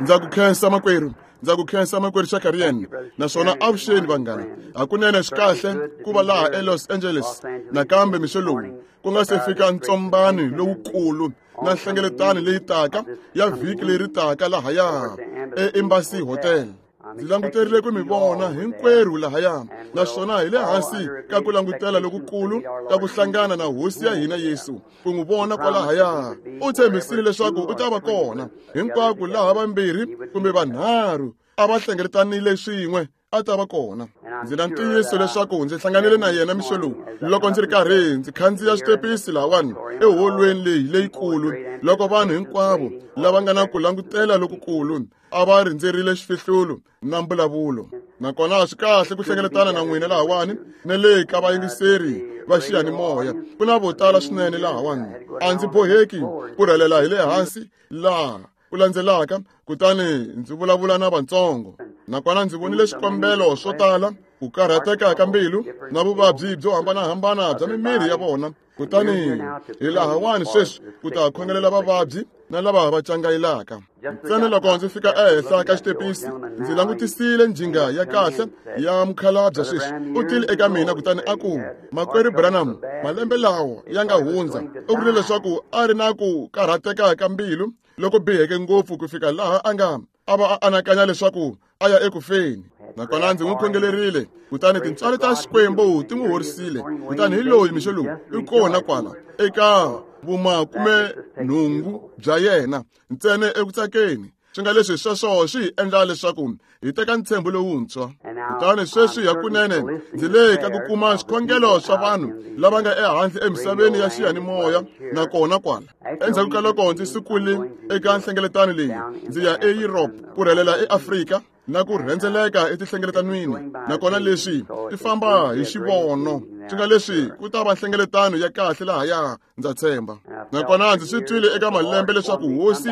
Ndza ku khensa makwerhu, ndza ku khensa makwerhu Shakarian, naswona avuxeni vanghana. Hakunene swi kahle ku va laha eLos Angeles nakambe mixo lowu ku nga se fika ntsombano lowukulu na nhlengeletano leyi taka ya vhiki leri taka lahaya eEmbassy Hotel. Ndzi languterile ku mi vona hinkwerhu lahaya, naswona hi le hansi ka ku langutela lokukulu ka ku hlangana na Hosi ya hina Yesu, ku n'wi vona kwalahaya. U tshembisile leswaku u ta va kona hinkwako laha vambirhi kumbe vanharhu a va hlengeletanile swin'we, a ta va kona. Ndzi na ntiyiso leswaku ndzi hlanganile na yena mixo lowu loko ndzi ri karhi ndzi khandziya xitepisi lahawani eholweni leyi leyikulu, loko vanhu hinkwavo lava nga na ku langutela lokukulu a va rindzerile xifihlulo na mbulavulo. Nakona swi kahle ku hlengeletana na n'wina lahawani na le ka vayingiseri va xiyanimoya. Ku na vo tala swinene lahawani. A ndzi boheki ku rhelela hi le hansi laha ku landzelaka, kutani ndzi vulavula na vatsongo. Nakona ndzi vonile swikombelo swo tala, ku karhateka ka mbilu na vuvabyi byo hambanahambana bya mimiri ya vona. Kutani hi lahawani sweswi ku ta khongelela vavabyi na lava va cangayelaka. Ntsena loko ndzi fika ehenhla ka xitepisi, ndzi langutisile njhinga ya kahle ya mukhalabye sweswi. U tile eka mina kutani a ku, Makwerhu Branham, malembe lawa ya nga hundza, u vurile leswaku a ri na ku karhateka ka mbilu loko biheke ngopfu ku fika laha a nga a va a anakanya leswaku a ya eku feni. Nakona ndzi n'wi khongelerile, kutani tintswalo ta Xikwembu ti n'wi horisile. Kutani hi loyi mixo lowu i kona kwala eka vumakumenhungu bya yena, ntsena eku tsakeni. Swi nga leswi sweswo swi hi endla leswaku hi teka ntshembo lowuntshwa. Kutani sweswi hakunene ndzi le ka ku kuma swikhongelo swa vanhu lava nga ehandle emisaveni ya xiyanimoya nakona kwala. Endzhaku ka loko ndzi sukile eka nhlengeletano leyi, ndzi ya eEurope ku rhelela eAfrika na ku rhendzeleka etihlengeletwanini. Nakona leswi ti famba hi xivono, swi nga leswi ku ta va nhlengeletano ya kahle lahaya, ndza tshemba. Nakona ndzi swi twile eka malembe leswaku Hosi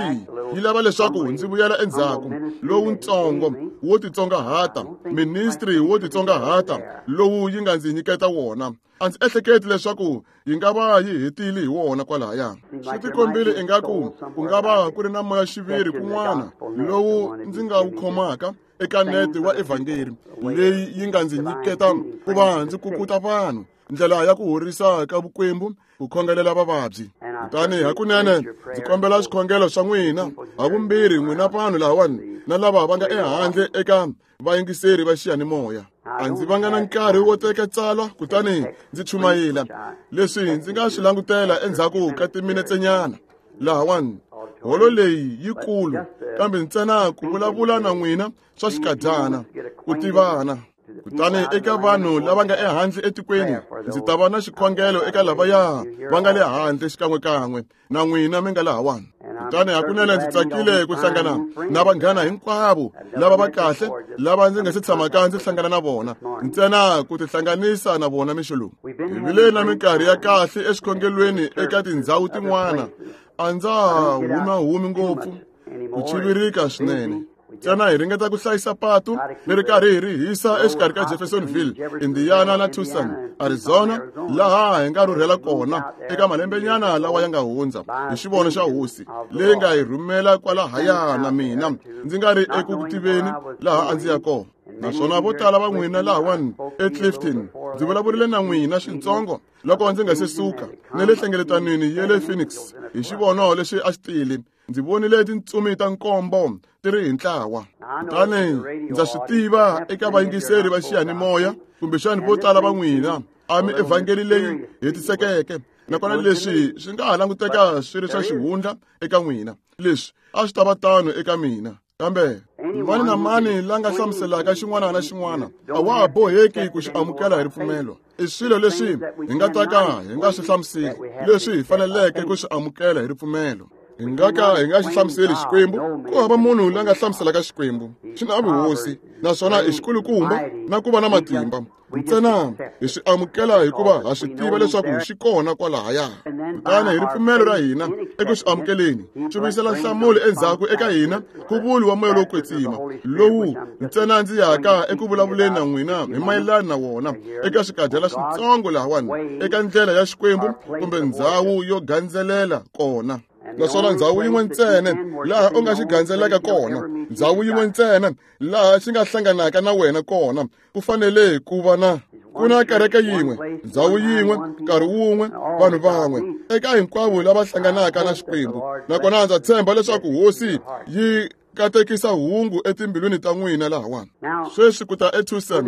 yi lava leswaku ndzi vuyela endzhaku lowuntsongo wo titsongahata, ministry wo titsongahata lowu yi nga ndzi nyiketa wona. A ndzi ehleketi leswaku yi nga va yi hetile hi wona kwalahaya. Swi tikombile ingaku ku nga va ku ri na moya xiviri kun'wana lowu ndzi nga wu khomaka eka nete wa evhangeri leyi yi nga ndzi nyiketa ku va ndzi kukuta vanhu ndlela ya ku horisa ka vukwembu, ku khongelela vavabyi. Kutani hakunene ndzi kombela swikhongelo swa n'wina havumbirhi, n'wina vanhu lahawani na lava va nga ehandle eka vayingiseri va xiyanimoya. A ndzi vanga na nkarhi wo teka tsalwa kutani ndzi chumayela leswi ndzi nga swi langutela endzhaku ka timinetsenyana lahawani. Holo leyi yikulu, kambe ntsena ku vulavula na n'wina swa xikadyana, ku tivana. Kutani eka vanhu lava nga ehandle etikweni, ndzi ta va na xikhongelo eka lavaya va nga le handle xikan'wekan'we na n'wina mi nga lahawani. Kutani hakunene ndzi tsakile ku hlangana na vanghana hinkwavo lava va kahle lava ndzi nga se tshamaka ndzi hlangana na vona, ntsena ku tihlanganisa na vona mixo lowu. Hi vile na minkarhi ya kahle exikhongelweni eka tindhawu tin'wana. A ndza ha humahumi ngopfu, ku chivirika swinene. Ntsena hi ringeta ku hlayisa patu leri karhi hi ri hisa exikarhi ka Jeffersonville, Indiana na Tucson, Arizona, laha hi nga rhurhela kona eka malembenyana lawa ya nga hundza hi xivono xa Hosi leyi nga hi rhumela kwalahaya na mina ndzi nga ri eku tiveni laha a ndzi ya kona. Naswona vo tala va n'wina lahawani eClifton, ndzi vulavurile na n'wina swintsongo loko ndzi nga se suka na le hlengeletanweni ya le Phoenix hi xivono lexi a xi tile. Ndzi vonile tintsumi ta nkombo ti ri hi ntlawa. Kutani ndza swi tiva eka vayingiseri va xiyanimoya, kumbexani vo tala va n'wina a mi evhangeli leyi hetisekeke, nakona leswi swi nga ha languteka swi ri swa xihundla eka n'wina. Leswi a swi ta va tano eka mina. Kambe mani na mani la nga hlamuselaka xin'wana na xin'wana a wa ha boheki ku xi amukela hi ripfumelo. I swilo leswi hi nga ta ka hi nga swi hlamuseli, leswi hi faneleke ku swi amukela hi ripfumelo. Hi nga ka hi nga xi hlamuseli Xikwembu. Ku hava munhu la nga hlamuselaka Xikwembu. Xi na vuhosi, naswona i xikulukumba na ku va na matimba. Ntsena hi swi amukela hikuva ha swi tiva leswaku xi kona kwalahaya. Kutani hi ripfumelo ra hina eku swi amukeleni, swi vuyisela nhlamulo endzhaku eka hina ku vuli wa moya lowo kwetsima, lowu ntsena ndzi yaka eku vulavuleni na n'wina hi mayelana na wona eka swikadyana switsongo lahawani, eka ndlela ya Xikwembu kumbe ndhawu yo gandzelela kona. Naswona ndhawu yin'we ntsena laha u nga xi gandzelaka kona, ndhawu yin'we ntsena laha xi nga hlanganaka na wena kona, ku fanele ku va na ku na kereke yin'we, ndhawu yin'we, nkarhi wun'we, vanhu van'we, eka hinkwavo lava hlanganaka na Xikwembu. Nakona ndza tshemba leswaku Hosi yi katekisa hungu etimbilwini ta n'wina lahawani. Sweswi ku ta eTucson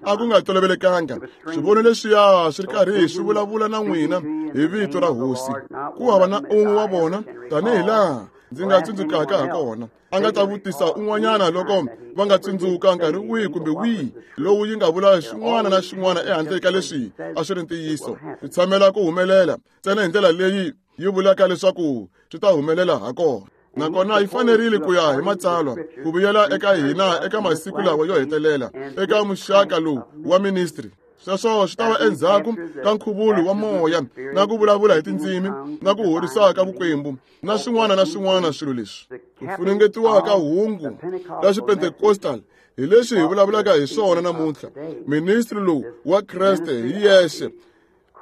a ku nga tolovelekanga. Swivono leswiya swi ri karhi swi vulavula na n'wina hi vito ra Hosi. Ku hava na un'we wa vona tanihi laha ndzi nga tsundzukaka ha kona a nga ta vutisa un'wanyana loko va nga tsundzuka nkarhi wihi kumbe wihi lowu yi nga vula xin'wana na xin'wana ehandle ka leswi a swi ri ntiyiso. Swi tshamela ku humelela ntsena hi ndlela leyi yi vulaka leswaku swi ta humelela ha kona. Nakona yi fanerile ku ya hi matsalwa ku vuyela eka hina eka masiku lawa yo hetelela eka muxaka lowu wa ministry. Sweswo swi ta va endzhaku ka nkhuvulo wa moya na ku vulavula hi tindzimi na ku horisa ka vukwembu na swin'wana na swin'wana swilo leswi. Ku funengetiwa ka hungu ra Xipentecostal hi leswi hi vulavulaka hi swona namuntlha. Ministry lowu wa Kreste hi yexe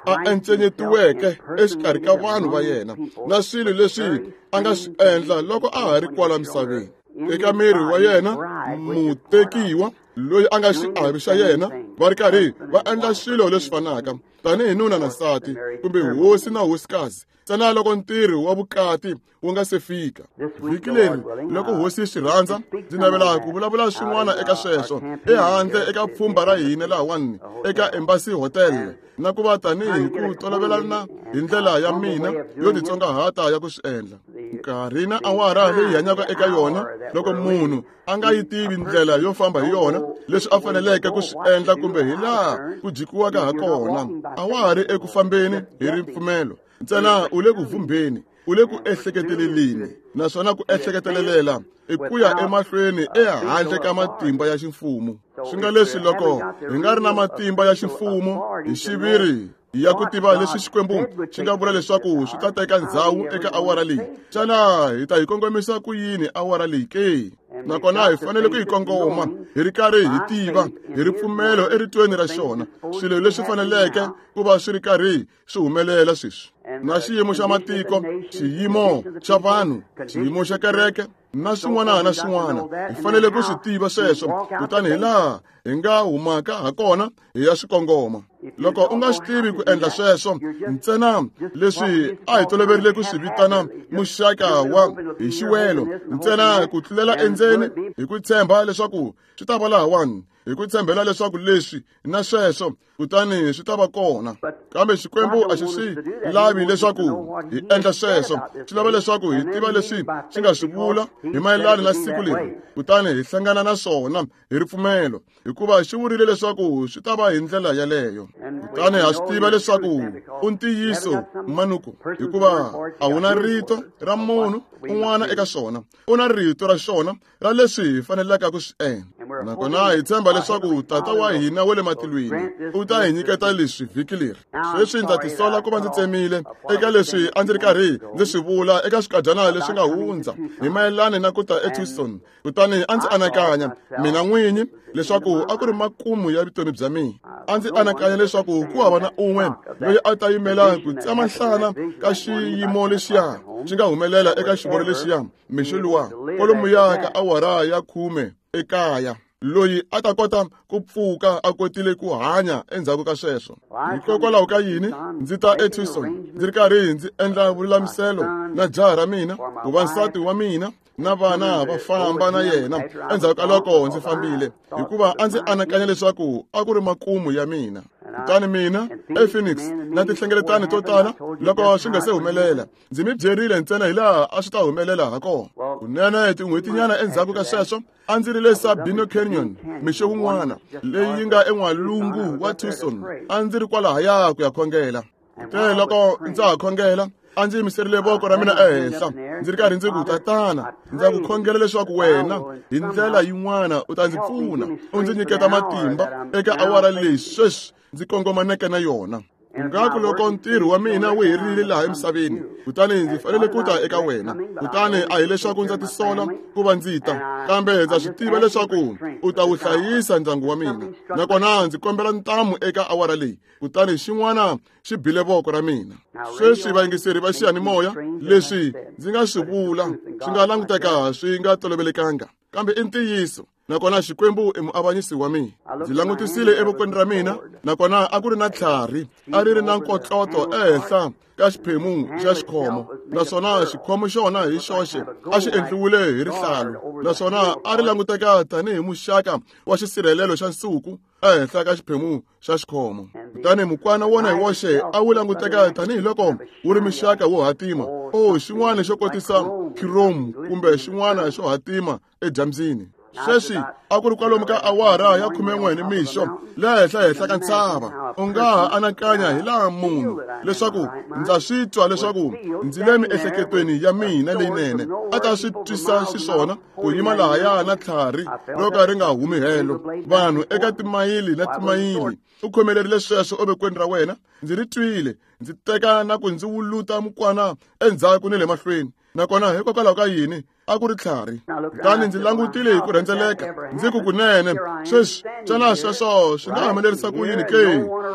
a encenyetiweke exikarhi ka vanhu va yena na swilo leswi a nga swi endla loko a ha ri kwala misaveni. Eka miri wa yena mutekiwa loyi a nga xiave xa yena va ri karhi va endla swilo leswi fanaka tanihi nuna na nsati kumbe hosi na hosikazi ntsena loko ntirho wa vukati wu nga se fika. Vhiki leri loko Hosi yi swi rhandza ndzi navela ku vulavula swin'wana eka sweswo ehandle eka pfhumba ra hina lahawani eka Embassy Hotel na ku va tanihi ku tolovelana hi ndlela ya mina yo titsongahata ya ku swi endla. Nkarhi na awara leyi hanyaka eka yona loko munhu a nga yi tivi ndlela yo famba hi yona leswi a faneleke ku swi endla kumbe hi laha ku jikiwaka ha kona, a wa ha ri eku fambeni hi ripfumelo ntsena u le ku vhumbeni, u le ku ehleketeleleni, naswona ku ehleketelela i ku ya emahlweni ehandle ka matimba ya ximfumo. Swi nga leswi loko hi nga ri na matimba ya ximfumo hi xiviri ya ku tiva leswi Xikwembu xi nga vula leswaku swi ta teka ndzhawu eka awara leyi, xana hi ta yi kongomisa ku yini awara leyi ke? Nakona hi fanele ku yi kongoma hi ri karhi hi tiva hi ripfumelo eritweni ra xona swilo leswi faneleke ku va swi ri karhi swi humelela sweswi, na xiyimo xa matiko, xiyimo xa vanhu, xiyimo xa kereke na swin'wana na swin'wana. Hi fanele ku swi tiva sweswo, kutani hi laha hi nga humaka ha kona hi ya swi kongoma. Loko u nga swi tivi ku endla sweswo ntsena leswi a hi toloverile ku swi vitana muxaka wa hi xiwelo ntsena ku tlulela endzeni hi ku tshemba leswaku swi ta va lahawani, hi ku tshembela leswaku leswi na sweswo kutani swi ta va kona. Kambe Xikwembu a xi swi lavi leswaku hi endla sweswo, xi lava leswaku hi tiva leswi xi nga swi vula hi mayelana na siku leri, kutani hi hlangana na swona hi ripfumelo, hikuva xi vurile leswaku swi ta va hi ndlela yaleyo. Kutani ha swi tiva leswaku u ntiyiso manuku, hikuva a wu na rito ra munhu un'wana eka swona, u na rito ra xona ra leswi hi fanelaka ku swi endla. Nakona hi tshemba leswaku Tata wa hina wa le matilweni u ta hi nyiketa leswi vhiki leri. Sweswi ndza tisola ku va ndzi tsemile eka leswi a ndzi ri karhi ndzi swi vula eka swikadyana leswi nga hundza hi mayelana na ku ta eTucson. Kutani a ndzi anakanya mina n'winyi leswaku a ku ri makumu ya vutomi bya mina. A ndzi anakanya leswaku ku hava na un'we loyi a ta yimela ku tsema nhlana ka xiyimo lexiya xi nga humelela eka xivono lexiya mixo luwa kwalomuya ka awara ya 10 ekaya, loyi a ta kota ku pfuka a kotile ku hanya endzhaku ka sweswo. Hikokwalaho ka yini ndzi ta eTucson ndzi ri karhi ndzi endla vululamiselo na jaha ra mina ku va nsati wa mina na vana va famba na yena endzhaku ka loko ndzi fambile, hikuva a ndzi anakanya leswaku a ku ri makumu ya mina. Kutani mina ePhoenix na tinhlengeletano to tala loko swi nga se humelela, ndzi mi byerile ntsena hi laha a swi ta humelela ha kona. Kunene tin'hwetinyana endzhaku ka sweswo a ndzi ri le Sabino Canyon mixo wun'wana leyi yi nga en'walungu wa Tucson. A ndzi ri kwalahaya ku ya khongela. Kutani loko ndza ha khongela a ndzi yimiserile voko ra mina ehenhla ndzi ri karhi ndzi ku, Tatana, ndza ku khongela leswaku wena hi ndlela yin'wana u ta ndzi pfuna, u ndzi nyiketa matimba eka awara leyi sweswi ndzi kongomaneke na yona. Ngaku loko ntirho wa mina wu herile laha emisaveni, kutani ndzi fanele ku ta eka wena. Kutani a hi leswaku ndza tisola ku va ndzi ta, kambe ndza swi tiva leswaku u ta wu hlayisa ndyangu wa mina. Nakona ndzi kombela ntamu eka awara leyi. Kutani xin'wana xi bile voko ra mina. Sweswi vayingiseri va xiyanimoya, leswi ndzi nga swi vula swi nga languteka swi nga tolovelekanga, kambe i ntiyiso. Nakona Xikwembu i muavanyisi wa mina. Ndzi langutisile evokweni ra mina, nakona a ku ri na tlhari, a ri ri na nkotloto ehenhla ka xiphemu xa xikhomo, naswona xikhomo xona hi xoxe a xi endliwile hi rihlalu, naswona a ri languteka tanihi muxaka wa xisirhelelo xa nsuku ehenhla ka xiphemu xa xikhomo. Kutani mukwana wona hi woxe a wu languteka tanihiloko wu ri muxaka wo hatima, o xin'wana xo kotisa khiromu kumbe xin'wana xo hatima edyambyini. Sweswi a ku ri kwalomu ka awara ya 11 nimixo le henhla ka ntshava. U nga ha anakanya hi laha munhu leswaku ndza swi twa leswaku ndzi le miehleketweni ya mina leyinene a ta swi twisa xiswona ku yima lahaya na tlhari ro ka ri nga humi helo, vanhu eka timayili na timayili. U khomelerile sweswo evokweni ra wena. Ndzi ri twile, ndzi teka na ku ndzi wuluta mukwana endzhaku ni le mahlweni. Nakona hikokwalaho ka yini a ku ri tlhari? Kutani ndzi langutile hi ku rhendzeleka, ndzi ku kunene sweswi xana sweswo swi nga humelerisa ku yini ke?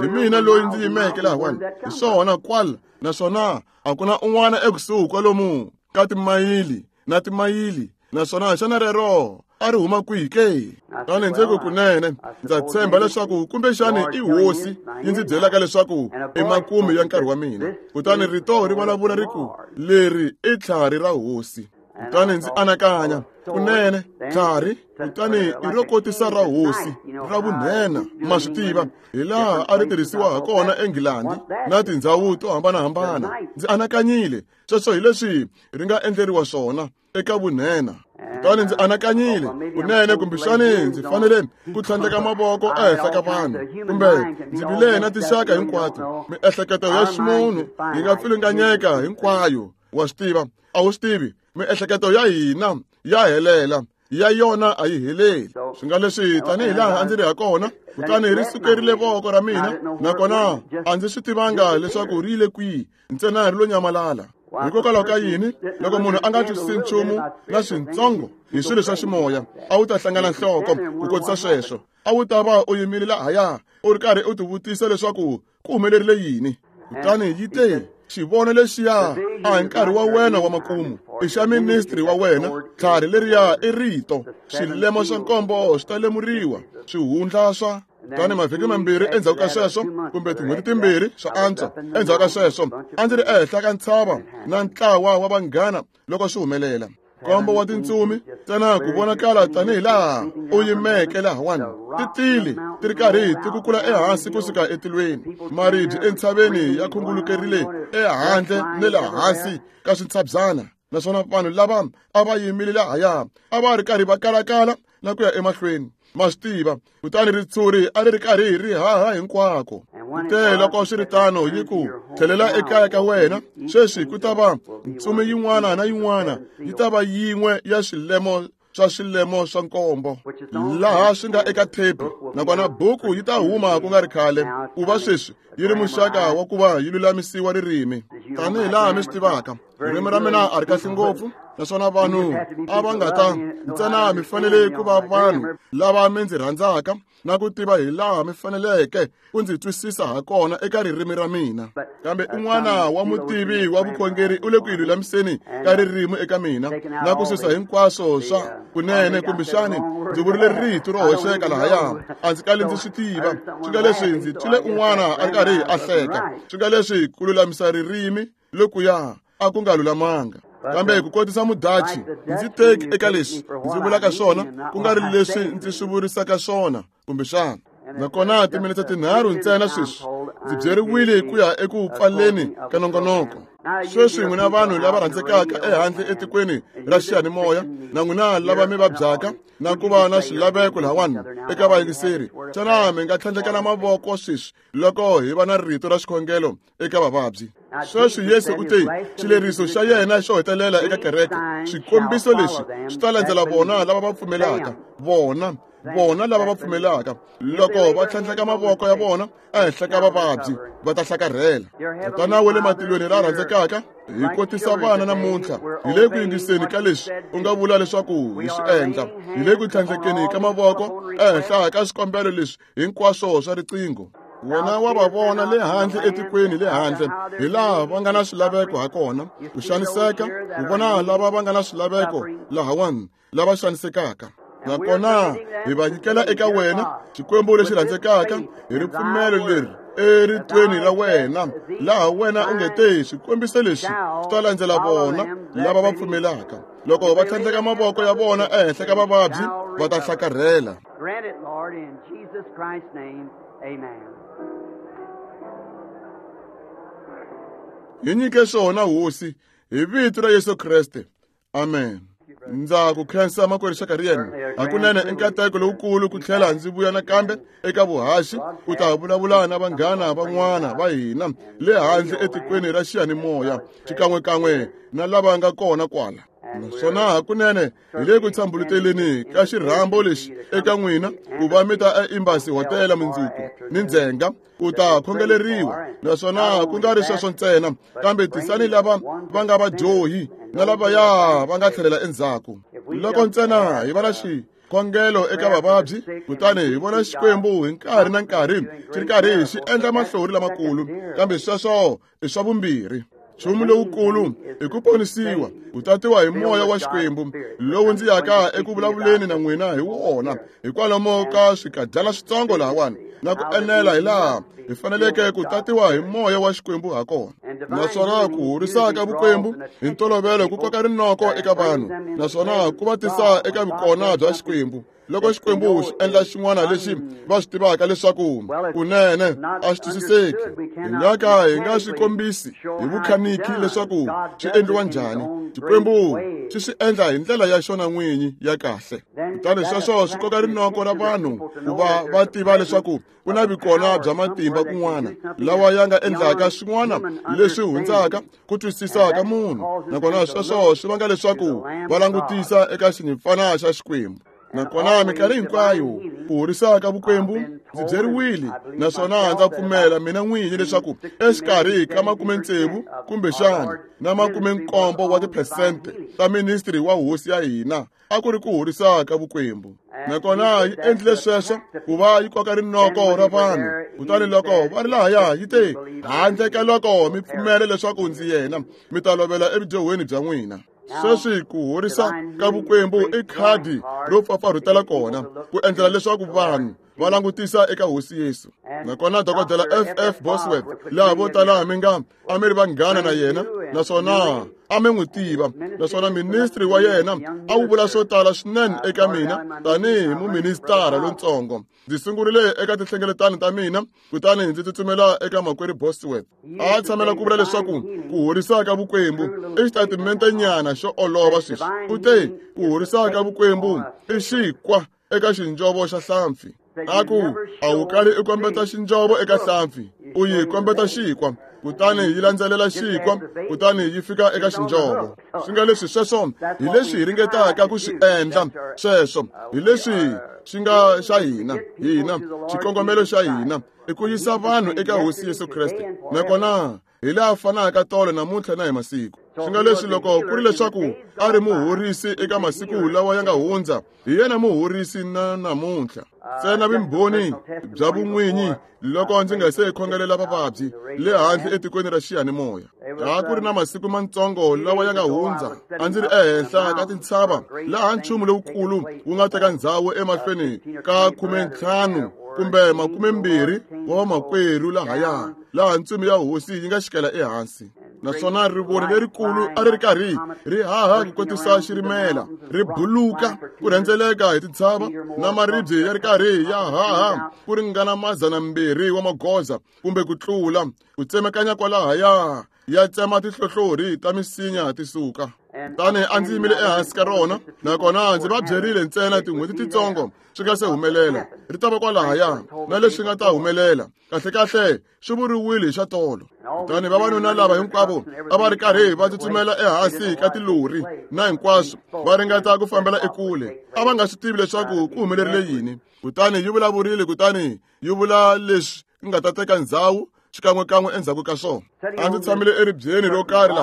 Hi mina loyi ndzi yimeke lahawani, hi swona kwala, naswona a ku na un'wana ekusuhi kwalomu ka timayili na timayili, naswona xana rero a ri huma kwihi ke? Kutani ndzi ku kunene ndza tshemba leswaku kumbexani i hosi yi ndzi byelaka leswaku i makumu ya nkarhi wa mina. Kutani rito ri vulavula ri ku, leri i tlhari ra hosi. Kutani ndzi anakanya, kunene tlhari, kutani i ro kotisa ra hosi ra vunhena, ma swi tiva hi laha a ri tirhisiwa ha kona eNgilandi na tindhawu to hambanahambana. Ndzi anakanyile, sweswo hi leswi ri nga endleriwa swona eka vunhena. Kutani ndzi anakanyile, kunene kumbexani ndzi fanele ku tlhandleka mavoko ehenhla ka vanhu, kumbe ndzi vile na tinxaka hinkwato. Miehleketo ya ximunhu yi nga pfilunganyeka hinkwayo, wa swi tiva, a wu swi tivi, miehleketo ya hina ya helela, ya yona a yi heleli. Swi nga leswi tanihi laha a ndzi ri ha kona, kutani ri sukerile voko ra mina, nakona a ndzi swi tivanga leswaku ri yile kwihi, ntsena ri lo nyamalala. Hikokwalaho ka yini loko munhu a nga twisisi nchumu na swintsongo hi swilo swa ximoya, a wu ta hlangana nhloko ku kotisa sweswo. A wu ta va u yimile lahaya u ri karhi u tivutisa leswaku ku humelerile yini. Kutani yi te, xivono lexiya a hi nkarhi wa wena wa makumu, i xa ministri wa wena. Tlhari leriya i rito, xilemo xa nkombo xi ta lemuriwa, swihundla swa. Kutani mavhiki mambirhi endzhaku ka sweswo, kumbe tin'hweti timbirhi swa antswa endzhaku ka sweswo, a ndzi ri ehenhla ka ntshava na ntlawa wa vanghana loko swi humelela. Nkombo wa tintsumi ntsena ku vonakala tanihi laha u yimeke lahawani, ti tile ti ri karhi ti kukula ehansi kusuka etilweni. Maribye entshaveni ya khungulukerile ehandle ni le hansi ka swintshabyana, naswona vanhu lava a va yimile lahaya a va ri karhi va kalakala na ku ya emahlweni, ma swi tiva. Kutani ritshuri a ri ri karhi ri haha hinkwako. Kute loko swi ri tano, yi ku, tlhelela ekaya ka wena sweswi. Ku ta va ntsumi yin'wana na yin'wana yi ta va yin'we ya swilemo swa swilemo swa nkombo laha swi nga eka thepi, nakona buku yi ta huma ku nga ri khale, ku va sweswi yi ri muxaka wa ku va yi lulamisiwa ririmi. Tanihi laha mi swi tivaka, ririmi ra mina a ri kahle ngopfu, naswona vanhu a va nga ta ntsena mi fanele ku va vanhu lava mi ndzi rhandzaka na ku tiva hi laha mi faneleke ku ndzi twisisa ha kona eka ririmi ra mina. Kambe un'wana wa mutivi wa vukhongeri u le ku yi lulamiseni ka ririmi eka mina na ku susa hinkwaswo swa kunene, kumbexani ndzi vurile rito ro hoxeka lahaya, a ndzi kali ndzi swi tiva. Swi nga leswi ndzi twile un'wana a ri karhi a hleka. Swi nga leswi ku lulamisa ririmi lokuya a ku nga lulamanga, kambe ku kotisa mudachi ndzi teki eka leswi ndzi vulaka swona, ku nga ri leswi ndzi swi vurisaka swona kumbexana. Nakona timinete tinharhu ntsena sweswi ndzi byeriwile ku ya eku pfaleni ka nongonoko. Sweswi n'wina vanhu lava rhandzekaka ehandle etikweni ra xiyanimoya, na n'wina lava mi vabyaka na ku va na swilaveko lahawani eka vayingiseri, xana mi nga tlhandlekana mavoko sweswi loko hi va na rito ra xikhongelo eka vavabyi? Sweswi Yesu u te, xileriso xa yena xo hetelela eka kereke, swikombiso leswi swi ta landzela vona lava va pfumelaka vona. Vona lava va pfumelaka, loko va tlhandleka mavoko ya vona ehenhla ka vavabyi, va ta hlakarhela. Tatana wa le matilweni la rhandzekaka, hi kotisa vana namuntlha hi le ku yingiseni ka leswi u nga vula leswaku hi swi endla, hi le ku tlhandlekeni ka mavoko ehenhla ka swikombelo leswi hinkwaswo swa riqingho. Wena wa va vona le handle etikweni le handle, hi laha va nga na swilaveko ha kona, ku xaniseka, ku vona lava va nga na swilaveko lahawani, lava xanisekaka. Nakona hi va nyikela eka wena, Xikwembu lexi rhandzekaka, hi ripfumelo leri eritweni ra wena, laha wena u nge te swikombiso leswi swi ta landzela vona lava va pfumelaka. Loko va tlhandleka mavoko ya vona ehenhla ka vavabyi, va ta hlakarhela. Grant it, Lord, in Jesus Christ's name. Amen. Hi nyike swona, Hosi, hi vito ra Yesu Kreste. Amen. Ndza ku khensa makwerhu Shakarian. Hakunene i nkateko lowukulu ku tlhela ndzi vuya nakambe eka vuhaxi ku ta vulavula na vanghana van'wana va hina le handle etikweni ra xiyanimoya, xikan'wekan'we na lava nga kona kwala. Naswona hakunene hi le ku tshambuluteleni ka xirhambo lexi eka n'wina ku va mi ta eEmbassy Hotela mundzuku ni ndzhenga ku ta khongeleriwa. Naswona ku nga ri sweswo ntsena, kambe tisani lava va nga vadyohi na lavaya va nga tlhelela endzhaku. Loko ntsena hi va na xikhongelo eka vavabyi, kutani hi vona Xikwembu hi nkarhi na nkarhi xi ri karhi xi endla mahlori lamakulu, kambe sweswo i swa vumbirhi. Nchumu lowukulu i ku ponisiwa, ku tatiwa hi moya wa Xikwembu lowu ndzi yaka eku vulavuleni na n'wina hi wona hikwalomo ka swikadyana switsongo lahawani, na ku enela hi laha hi faneleke ku tatiwa hi moya wa Xikwembu ha kona. Naswona ku horisa ka vukwembu hi ntolovelo ku koka rinoko eka vanhu, naswona ku va tisa eka vukona bya Xikwembu. Loko Xikwembu xi endla xin'wana lexi va swi tivaka leswaku kunene a swi twisiseki, hi nga ka hi nga swi kombisi hi vukhaniki leswaku swi endliwa njhani. Xikwembu xi swi endla hi ndlela ya xona n'winyi ya kahle. Kutani sweswo swi koka rinoko ra vanhu ku va va tiva leswaku ku na vikona bya matimba kun'wana lawa ya nga endlaka swin'wana leswi hundzaka ku twisisa ka munhu. Nakona sweswo swi vanga leswaku va langutisa eka xinyimpfana xa Xikwembu. Nakona minkarhi hinkwayo ku horisa ka vukwembu, ndzi byeriwile, naswona ndza pfumela mina n'winyi leswaku exikarhi ka 60 kumbexana na 70 wa tiphesente ta ministry wa hosi ya hina a ku ri ku horisa ka vukwembu. Nakona yi endlile sweswo ku va yi koka rinoko ra vanhu. Kutani loko va ri lahaya, yi te, handle ka loko mi pfumela leswaku ndzi yena, mi ta lovela evudyohweni bya n'wina. Sweswi ku horisa ka vukwembu i khadi ro pfapfarhutela kona ku endlela leswaku vanhu va langutisa eka Hosi Yesu. Nakona Dokodela F.F. Bosworth, laha vo tala mi nga a mi ri vanghana na yena, naswona a mi n'wi tiva, naswona ministri wa yena a wu vula swo tala swinene eka mina tanihi muministara lontsongo. Ndzi sungurile eka tinhlengeletano ta mina, kutani ndzi tsutsumela eka makwerhu Bosworth. A tshamela ku vula leswaku ku horisa ka vukwembu i xitatimentenyana xo olova sweswi. U te ku horisa ka vukwembu i xikwa eka xinjovo xa hlampfi. A ku a wu kali i kombeta xinjovo eka hlampfi, u yi kombeta xikwa, kutani yi landzelela xikwa, kutani yi fika eka xinjovo. Swi nga leswi sweswo hi leswi hi ringetaka ku swi endla. Sweswo hi leswi swi nga xa hina, hina xikongomelo xa hina i ku yisa vanhu eka Hosi Yesu Kreste. Nakona hi laha fanaka tolo namuntlha na hi masiku. Swi nga leswi loko ku ri leswaku a ri muhorisi eka masiku lawa ya nga hundza, hi yena muhorisi na namuntlha. Ntsena vumbhoni bya vun'winyi loko ndzi nga se khongelela vavabyi le handle etikweni ra xiyanimoya. A ku ri na masiku mantsongo lawa ya nga hundza, a ndzi ri ehenhla ka tintshava laha nchumu lowukulu wu nga teka ndzhawu emahlweni ka 15 kumbe 20 wa vamakwerhu lahaya, laha ntsumi ya Hosi yi nga xikela ehansi. Naswona rivoni lerikulu a ri ri karhi ri haha ku kotisa xirimela, ri buluka ku rhendzeleka hi tintshava, na maribye ya ri karhi ya haha ku ringana 200 wa magoza kumbe ku tlula, ku tsemekanya kwalahaya ya tsema tihlohlorhi ta misinya ti suka. Kutani a ndzi yimile ehansi ka rona, nakona ndzi va byerile ntsena tin'hweti titsongo swi nga se humelela. Ri ta va kwalahaya na leswi nga ta humelela. Kahlekahle swi vuriwile hi xa tolo. Kutani vavanuna lava hinkwavo a va ri karhi va tsutsumela ehansi ka tilori na hinkwaswo, va ringeta ku fambela ekule. A va nga swi tivi leswaku ku humelerile yini. Kutani yi vulavurile, kutani yi vula leswi nga ta teka ndzhawu xikan'wekan'we endzhaku ka swona. A ndzi tshamile eribyeni ro karhi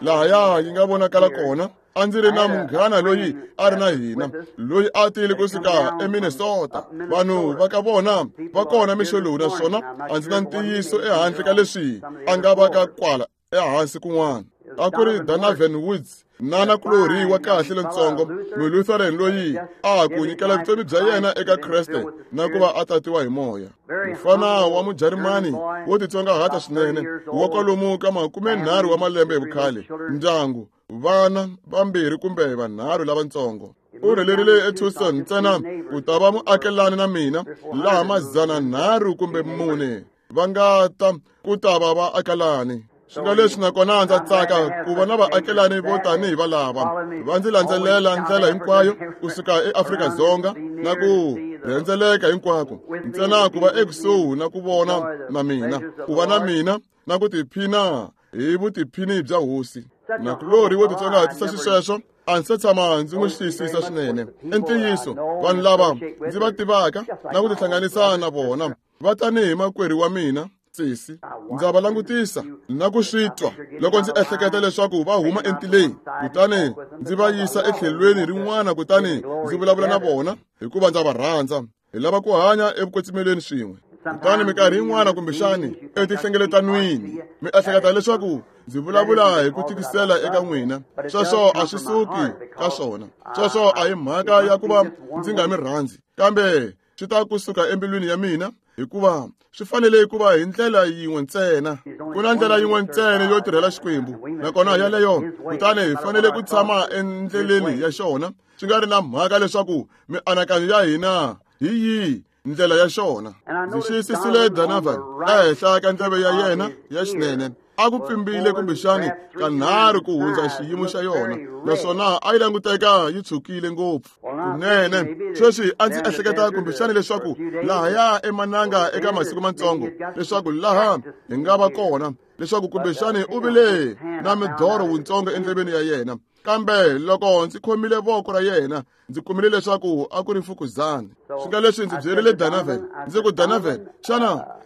lahaya yi nga vonakala kona. A ndzi ri na munghana loyi a ri na hina, loyi a tile kusuka eMinnesota. Vanhu va ka vona va kona mixo lowu, naswona a ndzi na ntiyiso ehandle ka leswi a nga va ka kwala ehansi kun'wana. A ku ri Donovan Woods, nana kulorhi wa kahle lontsongo, Mulutheran loyi a ku nyikela vutomi bya yena eka Kreste na ku va a tatiwa hi moya. Mufana wa Mujarimani wo titsongahata swinene, wa kwalomu ka 30 wa malembe hi vukhale, ndyangu, vana vambirhi kumbe vanharhu lavatsongo. U rhelerile eTucson ntsena ku ta va muakelani na mina, laha 300 kumbe 4 va nga ta ku ta va vaakelani. Swi nga leswi nakona ndza tsaka ku va na vaakelani vo tanihi valava va ndzi landzelela ndlela hinkwayo kusuka eAfrika-Dzonga na ku rhendzeleka hinkwako, ntsena ku va ekusuhi na ku vona na mina, ku va na mina na ku tiphina hi vutiphini bya hosi. Nakulorhi wo titsongahatisa xisweswo a ndzi se tshama ndzi n'wi xiyisisa swinene. I ntiyiso, vanhu lava ndzi va tivaka na ku tihlanganisa na vona va tanihi makwerhu wa mina sesi. Ndza va langutisa na ku swi twa loko ndzi ehleketa leswaku va huma entileni, kutani ndzi va yisa etlhelweni rin'wana, kutani ndzi vulavula na vona hikuva ndza va rhandza. Hi lava ku hanya evukwetsimelweni swin'we. Kutani minkarhi yin'wana kumbexani etihlengeletwanini mi ehleketa leswaku ndzi vulavula hi ku tikisela eka n'wina. Sweswo a swi suki ka swona. Sweswo a hi mhaka ya ku va ndzi nga mi rhandzi, kambe swi ta kusuka embilwini ya mina, hikuva swi fanele ku va hi ndlela yin'we ntsena. Ku na ndlela yin'we ntsena yo tirhela Xikwembu, nakona yaleyo, kutani hi fanele ku tshama endleleni ya xona, swi nga ri na mhaka leswaku mianakanyo ya hina hi yihi ndlela ya xona. Ndzi xiyisisile Donovan ehenhla ka ndleve ya yena ya xinene. A ku pfimbile kumbexani kanharhu ku hundza xiyimo xa yona, naswona a yi languteka yi tshukile ngopfu kunene. Sweswi a ndzi ehleketa kumbexani leswaku lahaya emananga eka masiku matsongo, leswaku laha hi nga va kona, leswaku kumbexani u vile na midoro wutsongo endleveni ya yena. Kambe loko ndzi khomile voko ra yena, ndzi kumile leswaku a ku ri mfukuzana. Swi nga leswi ndzi byerile Donovan, ndzi ku, Donovan,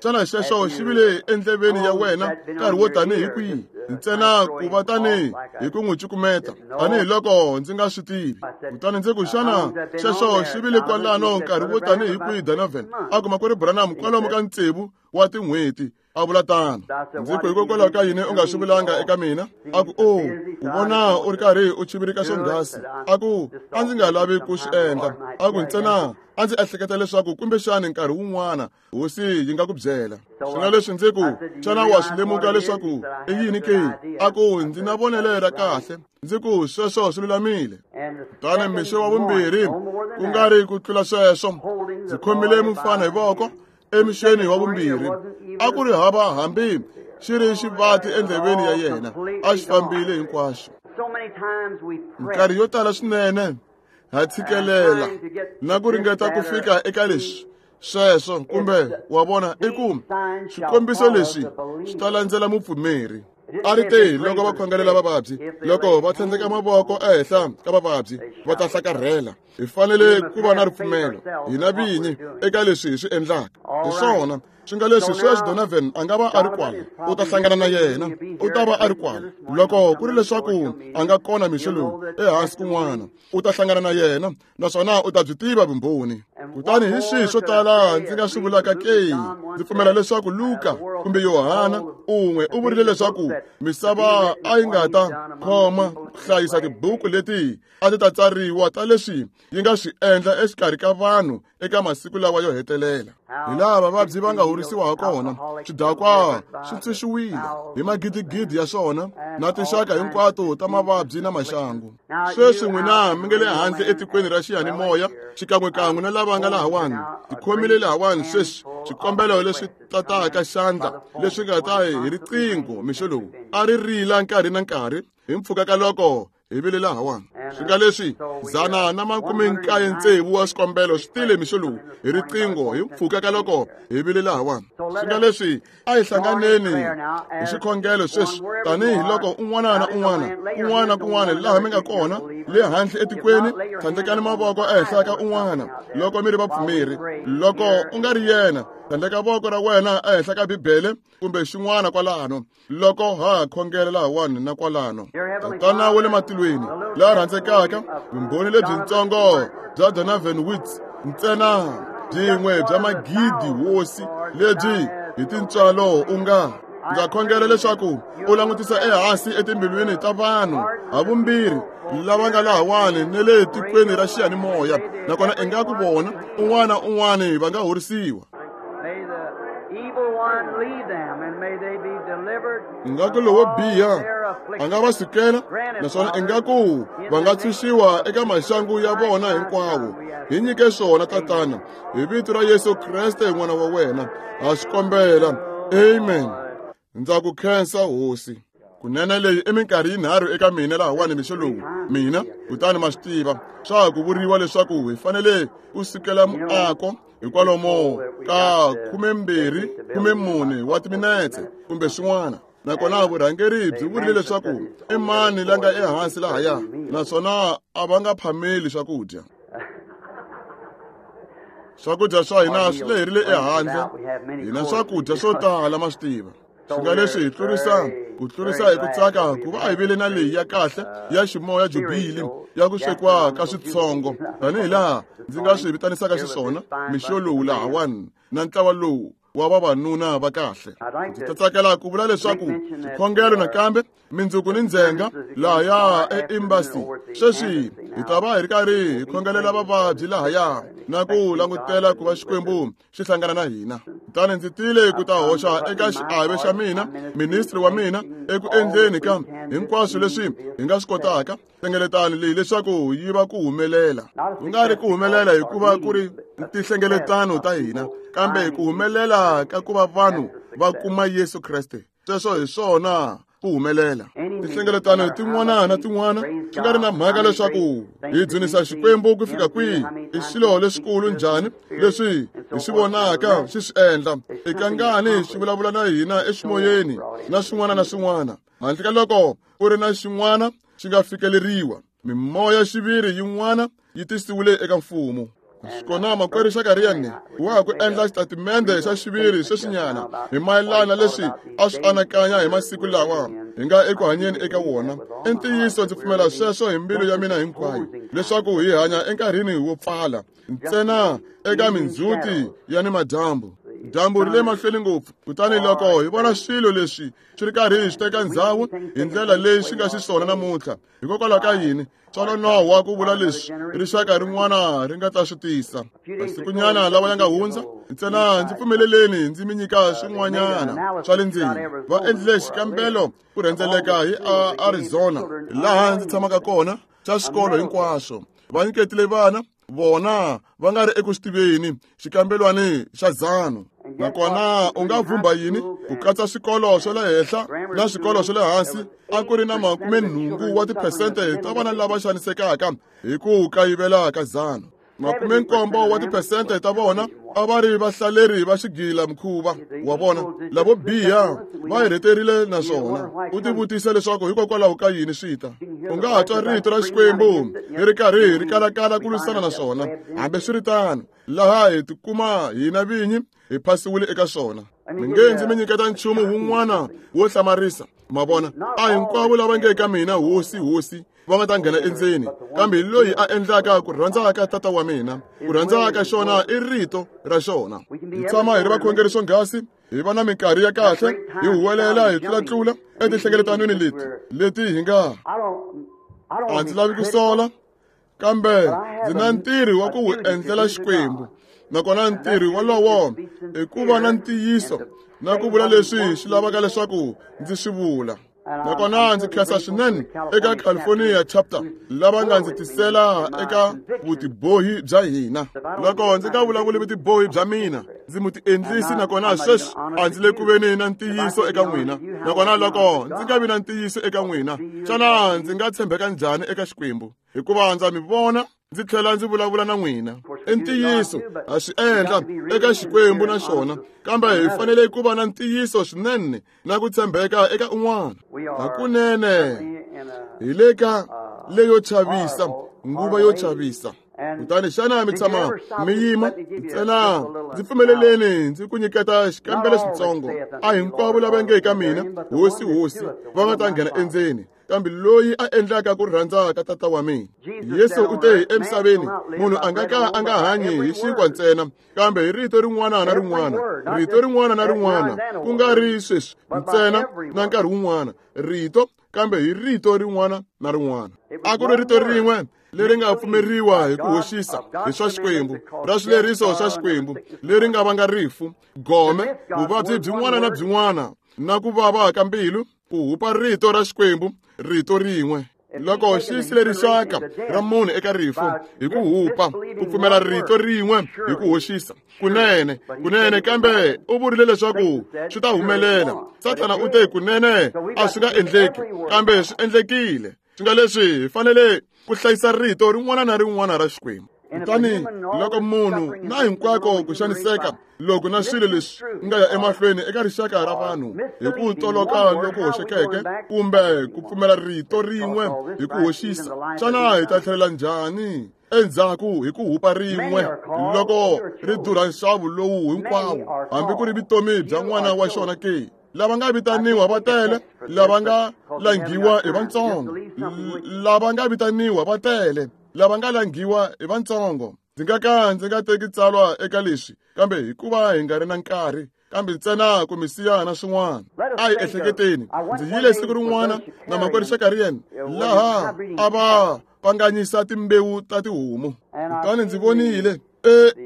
xana xexo xi vile endleveni ya wena nkarhi wo tanihi kwihi? Ntsena ku va tanihi hi ku n'wi cukumeta, tanihiloko ndzi nga swi tivi. Kutani ndzi ku, xana xexo xi vile kwalano nkarhi wo tanihi kwihi, Donovan? A ku, makwerhu Branham, kwalomu ka 6 wa tin'hweti. A vula tano. Ndzi ku, hikokwalaho ka yini u nga swi vulanga eka mina? A ku, o, u vona u ri karhi u chivirika swonghasi. A ku, a ndzi nga lavi ku swi endla. A ku, ntsena a ndzi ehleketa leswaku kumbexani nkarhi wun'wana hosi yi nga ku byela. Swi nga leswi ndzi ku, xana wa swi lemuka leswaku i yini ke? A ku, ndzi na vonelo ra kahle. Ndzi ku, sweswo swi lulamile. Kutani mixo wa vumbirhi, ku nga ri ku tlula sweswo, ndzi khomile mufana hi voko emixeni wa vumbirhi. A ku ri hava hambi xi ri xivati endleveni ya yena, a xi fambile hinkwaxo. Minkarhi yo tala swinene ha tshikelela na ku ringeta ku fika eka leswi sweswo, kumbe wa vona, i ku swikombiso leswi swi ta landzela mupfumeri. A ri te loko va khongelela vavabyi, loko va tlhandleka mavoko ehenhla ka vavabyi, va ta hlakarhela. Hi fanele ku va na ripfumelo hina vinyi eka leswi hi swi endlaka. Hi swona swi nga leswi sweswi Donovan a nga va a ri kwala, u ta hlangana na yena, u ta va a ri kwala. Loko ku ri leswaku a nga kona mixo lowu ehansi kun'wana, u ta hlangana na yena, naswona u ta byi tiva vumbhoni. Kutani hi swihi swo tala ndzi nga swi vulaka ke? Ndzi pfumela leswaku Luka kumbe Yohana un'we u vurile leswaku misava a yi nga ta khoma ku hlayisa tibuku leti a ti ta tsariwa ta leswi yi nga swi endla exikarhi ka vanhu eka masiku lawa yo hetelela. Hi laha vavabyi va nga horisiwa ha kona, swidakwa swi ntshunxiwile hi magidigidi ya swona na tinxaka hinkwato ta mavabyi na maxangu. Sweswi n'wina mi nga le handle etikweni ra xiyanimoya xikan'wekan'we na lava nga lahawani, tikhomile lahawani sweswi swikombelo leswi tataka xandla leswi nga ta hi riqingho mixo lowu a ri rila nkarhi na nkarhi hi mpfhuka ka loko Hi vile lahawani. Swi nga leswi 196 wa swikombelo swi tile mixo lowu hi riqingho hi mpfhuka ka loko hi vile lahawani. Swi nga leswi a hi hlanganeni hi xikhongelo sweswi tanihiloko un'wana na un'wana kun'wana na kun'wana laha mi nga kona le handle etikweni, tlhandlekani mavoko ehenhla ka un'wana loko mi ri vapfumeri. Loko u nga ri yena, tlhandleka voko ra wena ehenhla ka Bibele kumbe xin'wana kwalano loko ha khongela lahawani na kwalano. Tatana wa le matilweni la rhandzekaka, vumbhoni lebyintsongo bya Donovan Woods ntsena byin'we bya magidi hosi lebyi hi tintswalo u nga ndza khongela leswaku u langutisa ehansi etimbilwini ta vanhu havumbirhi lava nga lahawani ne le tikweni ra xiyanimoya, nakona ingaku vona un'wana na un'wana va nga horisiwa. Ingaku lowo biha a nga va sukela, naswona ingaku va nga tshunxiwa eka maxangu ya vona hinkwawo. Hi nyike swona Tatana, hi vito ra Yesu Kreste n'wana wa wena, ha swi kombela. Amen. Ndza ku khensa Hosi. Kunene leyi i minkarhi yinharhu eka mina lahawani mixo lowu mina, kutani ma swi tiva swa ha ku vuriwa leswaku hi fanele ku sukela muako hikwalomo ka 24 wa timinetse kumbe swin'wana. Nakona vurhangeri byi vurile leswaku i mani la nga ehansi lahaya, naswona a va nga phameli swakudya. Swakudya swa hina swi leherile ehandle, hina swakudya swo tala ma swi tiva. Swi nga leswi hi tlurisa ku tlurisa hi ku tsaka ku va hi vile na leyi ya kahle ya ximoya jubili ya ku swekiwa ka switsongo tanihi laha ndzi nga swi vitanisaka xiswona mixo lowu lahawani na ntlawa lowu wa vavanuna va kahle. Ndzi ta tsakela ku vula leswaku xikhongelo nakambe mindzuku ni ndzhenga lahaya e-embassy. Sweswi hi ta va hi ri karhi hi khongelela vavabyi lahaya na ku langutela ku va Xikwembu xi hlangana na hina. Kutani ndzi tile ku ta hoxa eka xiave xa mina, ministri wa mina, eku endleni ka hinkwaswo leswi hi nga swi kotaka nhlengeletano leyi leswaku yi va ku humelela. Ku nga ri ku humelela hikuva ku ri tinhlengeletano ta hina, kambe ku humelela ka ku va vanhu va kuma Yesu Kreste. Sweswo hi swona ku humelela. Tinhlengeletano tin'wana na tin'wana swi nga ri na mhaka leswaku hi dzunisa Xikwembu ku fika kwihi, i swilo leswikulu njhani leswi hi swi vonaka xi swi endla, i kangani xi vulavula na hina eximoyeni na swin'wana na swin'wana, handle ka loko ku ri na xin'wana xi nga fikeleriwa. Mimoya xiviri yin'wana yi tisiwile eka mfumo. Kona makwerhu Xakariani wa ha ku endla xitatimende xa xiviri sweswinyana hi mayelana leswi a swi anakanya hi masiku lawa hi nga eku hanyeni eka wona. I ntiyiso, ndzi pfumela sweswo hi mbilu ya mina hinkwayo leswaku hi hanya enkarhini wo pfala ntsena eka mindzhuti ya ni madyambu. Dyambu ri le mahlweni ngopfu, kutani loko hi vona swilo leswi swi ri karhi swi teka ndzhawu hi ndlela leyi swi nga xiswona namuntlha, hikokwalaho ka yini swa nonohwa ku vula leswi rixaka rin'wana ri nga ta swi tisa. Masikunyana lawa ya nga hundza ntsena ndzi pfumeleleni ndzi mi nyika swin'wanyana swa le ndzeni. Va endlile xikambelo ku rhendzeleka hi Arizona laha ndzi tshamaka kona xa swikolo hinkwaswo. Va nyiketile vana vona va nga ri eku swi tiveni xikambelwani xa dzano. Nakona u nga vhumba yini ku katsa swikolo swa le henhla na swikolo swa le hansi, a ku ri na 80 wa tiphesente ta vana lava xanisekaka hi ku kayivela ka dzano. 70 wa tiphesente ta vona a va ri vahlaleri va xigila mukhuva wa vona lavo biha va hi rheterile naswona u tivutisa leswaku hikokwalaho ka yini swi ta. U nga ha twa rito ra Xikwembu ri ri karhi ri kalakala ku lwisana na swona, hambi swi ri tano laha hi tikuma hina vinyi hi phasiwile eka swona. Mi nge ndzi mi nyiketa nchumu wun'wana wo hlamarisa. Ma vona, a hinkwavo lava nge ka mina Hosi, Hosi va nga ta nghena endzeni, kambe hi loyi a endlaka ku rhandza ka Tata wa mina. Ku rhandza ka xona i rito ra xona. Hi tshama hi ri vakhongeri swonghasi, hi va na minkarhi ya kahle, hi huwelela hi tlulatlula etinhlengeletanweni leti leti hi nga a ndzi lavi ku sola, kambe ndzi na ntirho wa ku wu endlela Xikwembu. Nakona ntirho wolowo i ku va na ntiyiso na ku vula leswi swi lavaka leswaku ndzi swi vula. Nakona ndzi khensa swinene eka California chapter lava nga ndzi tisela eka vutibohi bya hina. Loko ndzi nga vulavuli vutibohi bya mina, ndzi mutiendlisi, nakona sweswi a ndzi le ku veni na ntiyiso eka n'wina. Nakona loko ndzi nga vi na ntiyiso eka n'wina, xana ndzi nga tshembeka njhani eka Xikwembu? Hikuva ndza mi vona ndzi tlhela ndzi vulavula na n'wina. I ntiyiso ha swi endla eka Xikwembu na xona, kambe hi fanele ku va na ntiyiso swinene na ku tshembeka eka un'wana. Hakunene hi le ka leyo chavisa, nguva yo chavisa. Kutani xana mi tshama mi yima ntsena? Ndzi pfumeleleni ndzi ku nyiketa xikambelo xitsongo. A hinkwavo lava nge ka mina, Hosi, Hosi, va nga ta nghena endzeni, kambe loyi a endlaka ku rhandza ka Tata wa mina. Yesu u te emisaveni, munhu a nga ka a nga hanyi hi xinkwa ntsena, kambe hi rito rin'wana na rin'wana, rito rin'wana na rin'wana, ku nga ri sweswi ntsena na nkarhi wun'wana, rito, kambe hi rito rin'wana na rin'wana. A ku ri rito rin'we leri nga pfumeriwa hi ku hoxisa hi swa Xikwembu, ra swileriso swa Xikwembu, leri nga vanga rifu, gome, vuvabyi byin'wana na byin'wana, na ku vava ka mbilu, ku hupa rito ra Xikwembu, rito rin'we. Loko xi sile rixaka ra munhu eka rifu hi ku hupa, ku pfumela rito rin'we hi ku hoxisa, kunene, kunene, kambe u vurile leswaku swi ta humelela. Sathana u te kunene a swi nga endleki, kambe swi endlekile. Swi nga leswi hi fanele ku hlayisa rito rin'wana na rin'wana ra Xikwembu. Kutani loko munhu na hinkwako ku xaniseka loko na swilo leswi nga ya emahlweni eka rixaka ra vanhu hi ku toloka loku hoxekeke kumbe ku pfumela rito rin'we hi ku hoxisa, xana hi ta tlhelela njhani endzhaku hi ku hupa rin'we loko ri durha nxavo lowu hinkwawo, hambi ku ri vutomi bya n'wana wa xona ke? Lava nga vitaniwa va tele, lava nga langhiwa hi vantsongo. Lava nga vitaniwa va tele, lava nga langhiwa hi vantsongo. Ndzi nga ka ndzi nga teki tsalwa eka leswi, kambe hikuva hi nga ri na nkarhi, kambe ntsena ku mi siya na swin'wana. A hi ehleketeni. Ndzi yile siku rin'wana na makwerhu Shakarian laha a va pfanganyisa timbewu ta tihomu. Kutani ndzi vonile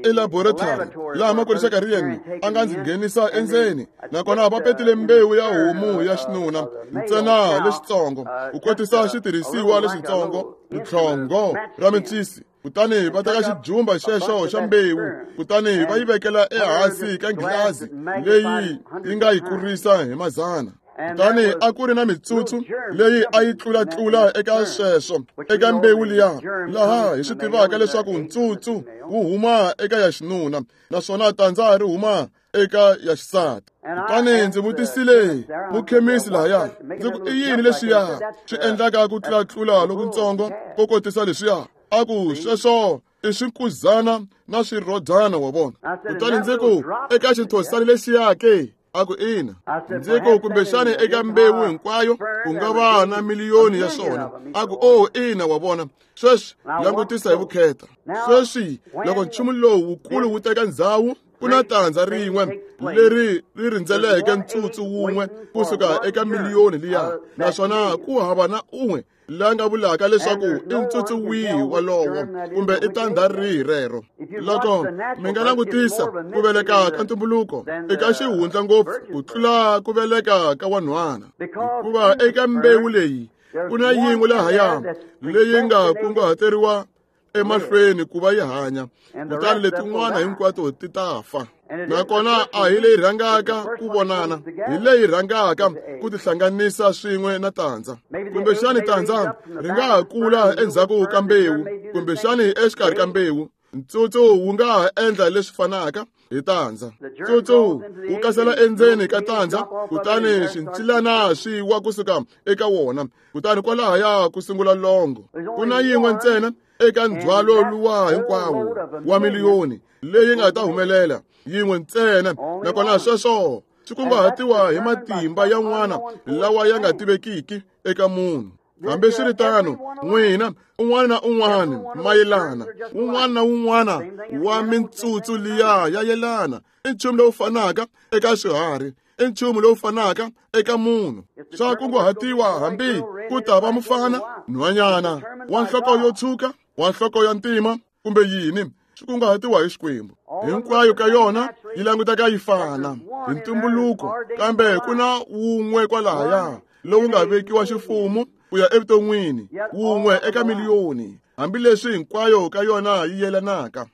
elaboratory laha makwerhu Shakarian a nga ndzi nghenisa endzeni, nakona va petile mbewu ya homu ya xinuna ntsena lexitsongo, ku kotisa xitirhisiwa lexitsongo, ritlhongo ra mincisi. Kutani va teka xijumba xexo xa mbewu, kutani va yi vekela ehansi ka nghilazi leyi yi nga yi kurisa hi mazana. Kutani a ku ri na mitsutsu leyi a yi tlulatlula eka sweswo, eka mbewu liya, laha hi swi tivaka leswaku ntsutsu wu huma eka ya xinuna, naswona tandza ri huma eka ya xisati. Kutani ndzi vutisile mukhemisi lahaya, ndzi ku i yini leswiya swi endlaka ku tlulatlula lokutsongo ko kotisa leswiya? A ku sweswo i swinkuzana na swirhodyana, wa vona. Kutani ndzi ku eka xinthosani lexiya ke? A ku ina. Ndzi ku kumbexani eka mbewu hinkwayo ku nga va na miliyoni ya swona. A ku oh ina, wa vona. Sweswi langutisa hi vukheta. Sweswi loko nchumu lowu wukulu wu teka ndzhawu, ku na tandza rin'we leri ri rindzeleke ntsutsu wun'we kusuka eka miliyoni liya, naswona ku hava na un'we la nga vulaka leswaku i ntsutsu wihi walowo kumbe i tandza rihi rero. Loko mi nga langutisa ku veleka ka ntumbuluko eka xihundla ngopfu ku tlula ku veleka ka wanhwana, hikuva eka mbewu leyi ku na yin'we lahaya leyi nga kunguhateriwa emahlweni ku va yi hanya, kutani letin'wana hinkwato ti ta fa. Nakona a hi leyi rhangaka ku vonana, hi leyi rhangaka ku tihlanganisa swin'we na tandza. Kumbexani tandza ri nga ha kula endzhaku ka mbewu, kumbexani exikarhi ka mbewu. Ntsutsu wu nga ha endla leswi fanaka hi tandza. Ntsutsu wu kasela endzeni ka tandza, kutani swincilana swi wa kusuka eka wona, kutani kwalahaya ku sungula longo. Ku na yin'we ntsena eka ndzhwalo luwa hinkwawo wa miliyoni leyi nga ta humelela, yin'we ntsena, nakona sweswo swi kunguhatiwa hi matimba yan'wana lawa ya nga tivekiki eka munhu. Hambiswiritano, n'wina un'wana na un'wana mayelana, un'wana na un'wana wa mintsutsu liya ya yelana, i nchumu lowu fanaka eka swiharhi, i nchumu lowu fanaka eka munhu. Swa kunguhatiwa hambi ku ta va mufana, nhwanyana, wa nhloko yo tshuka, wa nhloko ya ntima, kumbe yini, swi kunguhatiwa hi Xikwembu. Hinkwayo ka yona yi languteka yi fana hi ntumbuluko, kambe ku na wun'we kwalahaya lowu nga vekiwa ximfumo ku ya evuton'wini, wun'we eka miliyoni, hambileswi hinkwayo ka yona yi yelanaka.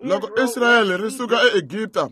Loko Israyele ri suka eEgipta,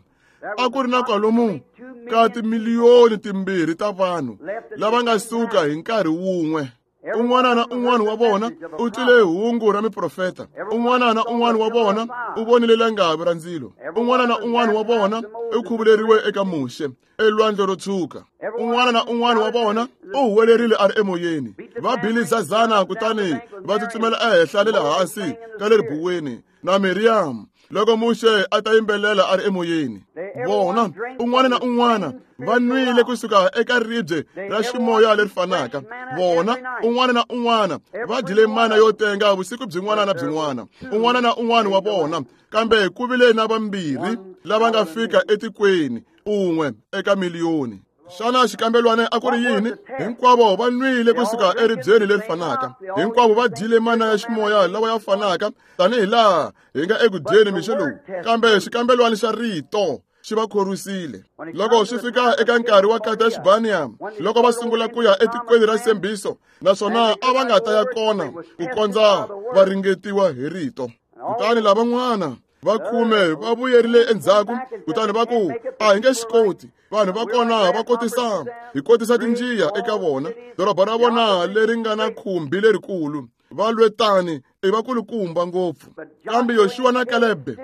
a ku ri na kwalomu ka timiliyoni 2 ta vanhu lava nga suka hi nkarhi wun'we. Un'wana na un'wana wa vona u twile hungu ra miprofeta. Un'wana na un'wana wa vona u vonile langavi ra ndzilo. Un'wana na un'wana wa vona u khuvuleriwe eka Muxe elwandle ro tshuka. Un'wana na un'wana wa vona u huwelerile a ri emoyeni. Va bile zazana kutani va tsutsumela ehenhla ni le hansi ka le ribuweni na Miriam loko Muxe a ta yimbelela a ri emoyeni. Vona, un'wana na un'wana va nwile kusuka eka ribye ra ximoya leri fanaka. Vona, un'wana na un'wana va dyile mana yo tenga vusiku byin'wana na byin'wana. Un'wana na un'wana wa vona, kambe ku vile na vambirhi lava nga fika etikweni, un'we eka miliyoni. Xana xikambelwana a ku ri yini? Hinkwavo va nwile kusuka eribyeni leri fanaka. Hinkwavo va dyile mana ya ximoya lawa ya fanaka tanihi laha hi nga eku dyeni mixo lowu. Kambe xikambelwana xa rito xi va khorwisile. Loko swi fika eka nkarhi wa Kadesh Barnea, loko va sungula ku ya etikweni ra Xitshembiso, naswona a va nga ta ya kona ku kondza va ringetiwa hi rito. Kutani lavan'wana va khume va vuyerile endzhaku, kutani va ku, a hi nge swi koti. Vanhu va kona va kotisa, hi kotisa tinjiya eka vona. Doroba ra vona leri nga na khumbi lerikulu, va lwetani i vakulukumba ngopfu. Kambe Yoxuwa na Kalebe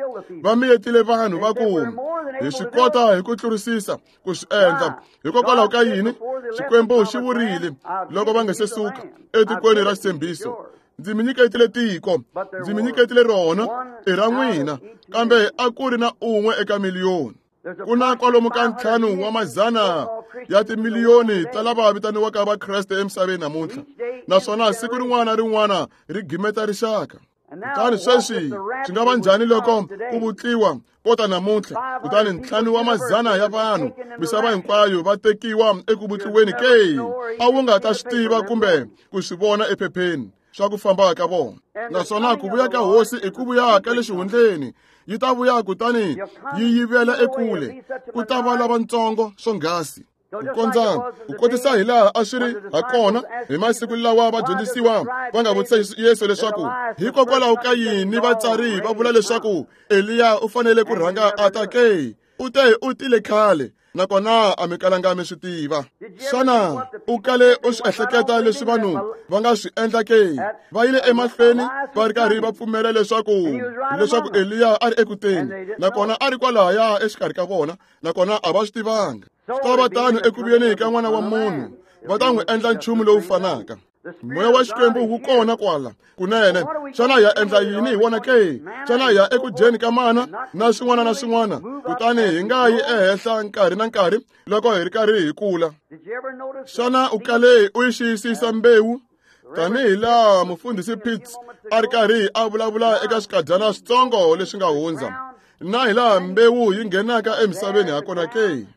va miyetile vanhu va ku, hi swi kota hi ku tlurisisa ku swi endla. Hikokwalaho ka yini? Xikwembu xi vurile loko va nga se suka etikweni ra Xitshembiso, ndzi mi nyiketile tiko, ndzi mi nyiketile rona, i ra n'wina. Kambe a ku ri na un'we eka miliyoni. Ku na kwalomu ka 5 wa mazana ya timiliyoni ta lava vitaniwaka Vakreste emisaveni namuntlha, naswona siku rin'wana na rin'wana ri gimeta rixaka. Kutani sweswi swi nga va njhani loko ku vutliwa kota namuntlha, kutani 5 wa mazana ya vanhu misava hinkwayo va tekiwa eku vutliweni ke? A wu nga ta swi tiva kumbe ku swi vona ephepheni swa ku famba ka vona. Naswona ku vuya ka hosi i ku vuya ka le xihundleni, yi ta vuya kutani yi yivela ekule. Ku ta va lavatsongo swonghasi. Ku kondza ku kotisa hi laha a swi ri ha kona hi masiku lawa vadyondzisiwa va nga vutisa Yesu leswaku hikokwalaho ka yini vatsari va vula leswaku Eliya u fanele ku rhanga a ta ke? U te u tile khale, nakona a mi kalanga mi swi tiva. Xana u kale u swi ehleketa leswi vanhu va nga swi endla ke? Va yile emahlweni va ri karhi va pfumela leswaku Eliya a ri ekuteni, nakona a ri kwalahaya exikarhi ka vona, nakona a va swi tivanga. Swi ta va tano eku vuyeni ka N'wana wa Munhu, va ta n'wi endla nchumu lowu fanaka. Moya wa Xikwembu wu kona kwala kunene. Xana ya endla yini hi wona ke? Xana ya eku dyeni ka mana na swin'wana na swin'wana, kutani hi nga yi ehenhla nkarhi na nkarhi loko hi ri karhi hi kula? Xana u kale u yi xiyisisa mbewu? Tanihi laha mufundhisi Pitts a ri karhi a vulavula eka swikadyana switsongo leswi nga hundza, na hi laha mbewu yi nghenaka emisaveni hakona ke?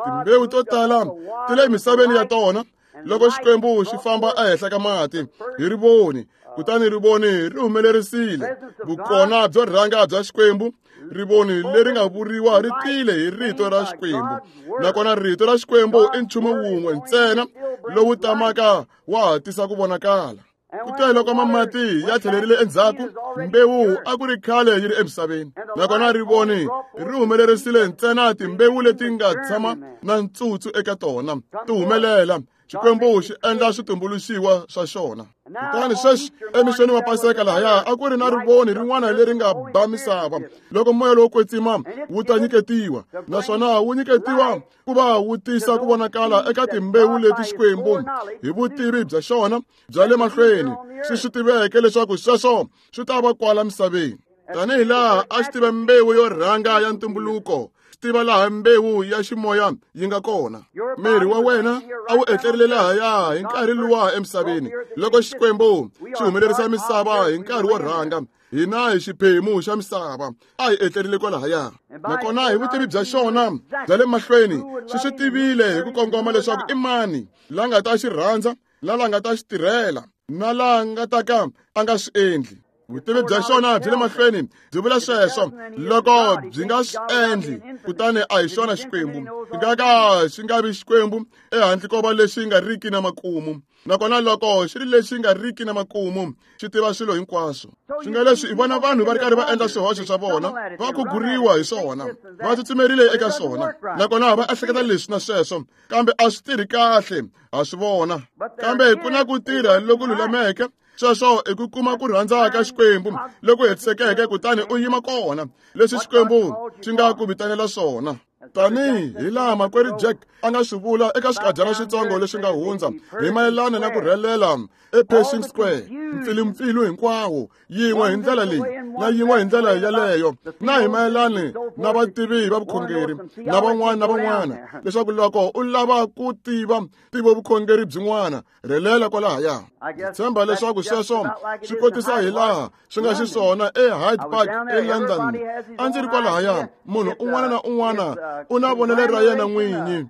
Timbewu to tala ti le misaveni ya tona loko Xikwembu xi famba ehenhla ka mati hi rivoni, kutani rivoni ri humelerisile vukona byo rhanga bya Xikwembu. Rivoni leri nga vuriwa ri tile hi rito ra Xikwembu, nakona rito ra Xikwembu i nchumu wun'we ntsena lowu tamaka wa ha tisa ku vonakala. Kutani loko mamati ya tlhelerile endzhaku, mbewu a ku ri khale yi ri emisaveni, nakona rivoni ri humelerisile ntsena timbewu leti nga tshama na ntsutsu eka tona ti humelela. Xikwembu xi endla switumbuluxiwa swa xona. Kutani sweswi emixweni wa Paseka lahaya a ku ri na rivoni rin'wana leri nga ba misava loko moya lowo kwetsima wu ta nyiketiwa, naswona wu nyiketiwa ku va wu tisa ku vonakala eka timbewu leti Xikwembu hi vutivi bya xona bya le mahlweni xi swi tiveke leswaku sweswo swi ta va kwala misaveni. Tanihi laha a xi tiva mbewu yo rhanga ya ntumbuluko, xi tiva laha mbewu ya ximoya yi nga kona. Miri wa wena a wu etlerile lahaya hi nkarhi luwa emisaveni loko Xikwembu xi humelerisa misava hi nkarhi wo rhanga. Hina hi xiphemu xa misava a hi etlerile kwalahaya, nakona hi vutivi bya xona bya le mahlweni xi swi tivile hi ku kongoma leswaku i mani la nga ta xi rhandza, la la nga ta xi tirhela, na la nga ta ka a nga swi endli. Vutivi bya xona byi le mahlweni byi vula sweswo. Loko byi nga swi endli, kutani a hi xona Xikwembu. Xi nga ka xi nga vi Xikwembu ehandle ko va lexi nga riki na makumu. Nakona loko xi ri lexi nga riki na makumu, xi tiva swilo hinkwaswo. Swi nga leswi hi vona vanhu va ri karhi va endla swihoxo swa vona, va khuguriwa hi swona, va tsutsumerile eka swona, nakona va ehleketa leswi na sweswo, kambe a swi tirhi kahle, ha swi vona. Kambe ku na ku tirha loku lulameke. Sweswo i ku kuma ku rhandza ka Xikwembu loku hetisekeke, kutani u yima kona leswi Xikwembu xi nga ku vitanela swona. Tanihi hi laha makwerhu Jack a nga swi vula eka swikadyana switsongo leswi nga hundza hi mayelana na ku rhelela ePershing Square, mpfilumpfilu hinkwawo, yin'we hi ndlela leyi na yin'we hi ndlela yaleyo, na hi mayelani na vativi va vukhongeri na van'wana na van'wana, leswaku loko u lava ku tiva ntivo vukhongeri byin'wana, rhelela kwalahaya. Ndzi tshemba leswaku sweswo swi kotisa hi laha swi nga xiswona eHyde Park eLondon. A ndzi ri kwalahaya, munhu un'wana na un'wana u na vonelo ra yena n'winyi.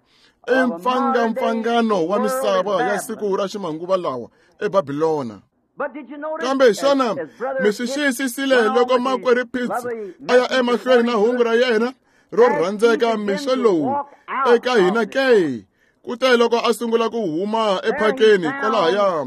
I mpfangampfangano wa misava ya siku ra ximanguva lawa eBabilona. Kambe xana mi swi xiyisisile loko makwerhu Pitts a ya emahlweni na hungu ra yena ro rhandzeka mixo lowu eka hina ke? Kute loko a sungula ku huma ephakeni kwalahaya,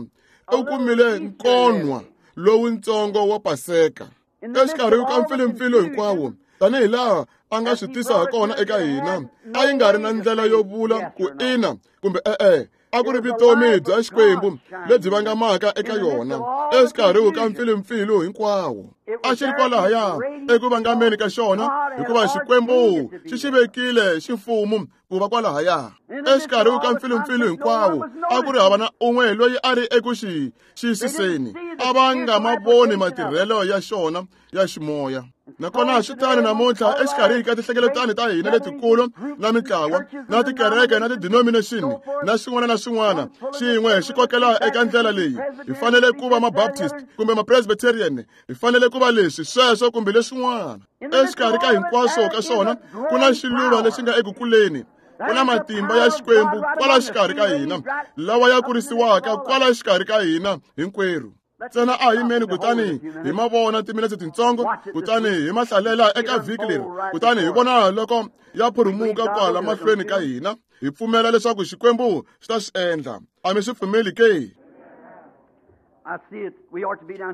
u kumile nkonwa lowuntsongo wa Paseka exikarhi ka mpfilumpfilu hinkwawo, tanihi laha a nga swi tisa ha kona eka hina. A yi nga ri na ndlela yo vula ku ina kumbe e-e. A ku ri vutomi bya Xikwembu lebyi vangamaka eka yona exikarhi ka mpfilumpfilu hinkwawo. A xi ri kwalahaya eku vangameni ka xona, hikuva Xikwembu xi xi vekile ximfumo ku va kwalahaya. Exikarhi ka mpfilumpfilu hinkwawo, a ku ri hava na un'we loyi a ri eku xi xiyisiseni. A va nga ma voni matirhelo ya xona ya ximoya. Nakona swi tano namuntlha exikarhi ka tinhlengeletano ta hina letikulu na mintlawa na tikereke na ti-denomination na swin'wana na swin'wana, xin'we xi kokela eka ndlela leyi. Hi fanele ku va ma-Baptist kumbe ma-Presbyterian, hi fanele ku va leswi, sweswo kumbe leswin'wana. Exikarhi ka hinkwaswo ka swona ku na xiluva lexi nga eku kuleni. Ku na matimba ya Xikwembu kwala xikarhi ka hina, lawa ya kurisiwaka kwala xikarhi ka hina hinkwerhu. Ntsena a yimeni kutani hi ma vona timinetse tintsongo, kutani hi ma hlalela eka vhiki leri, kutani hi vona loko ya phurumuka kwala mahlweni ka hina. Hi pfumela leswaku Xikwembu xi ta swi endla. A mi swi pfumeli ke?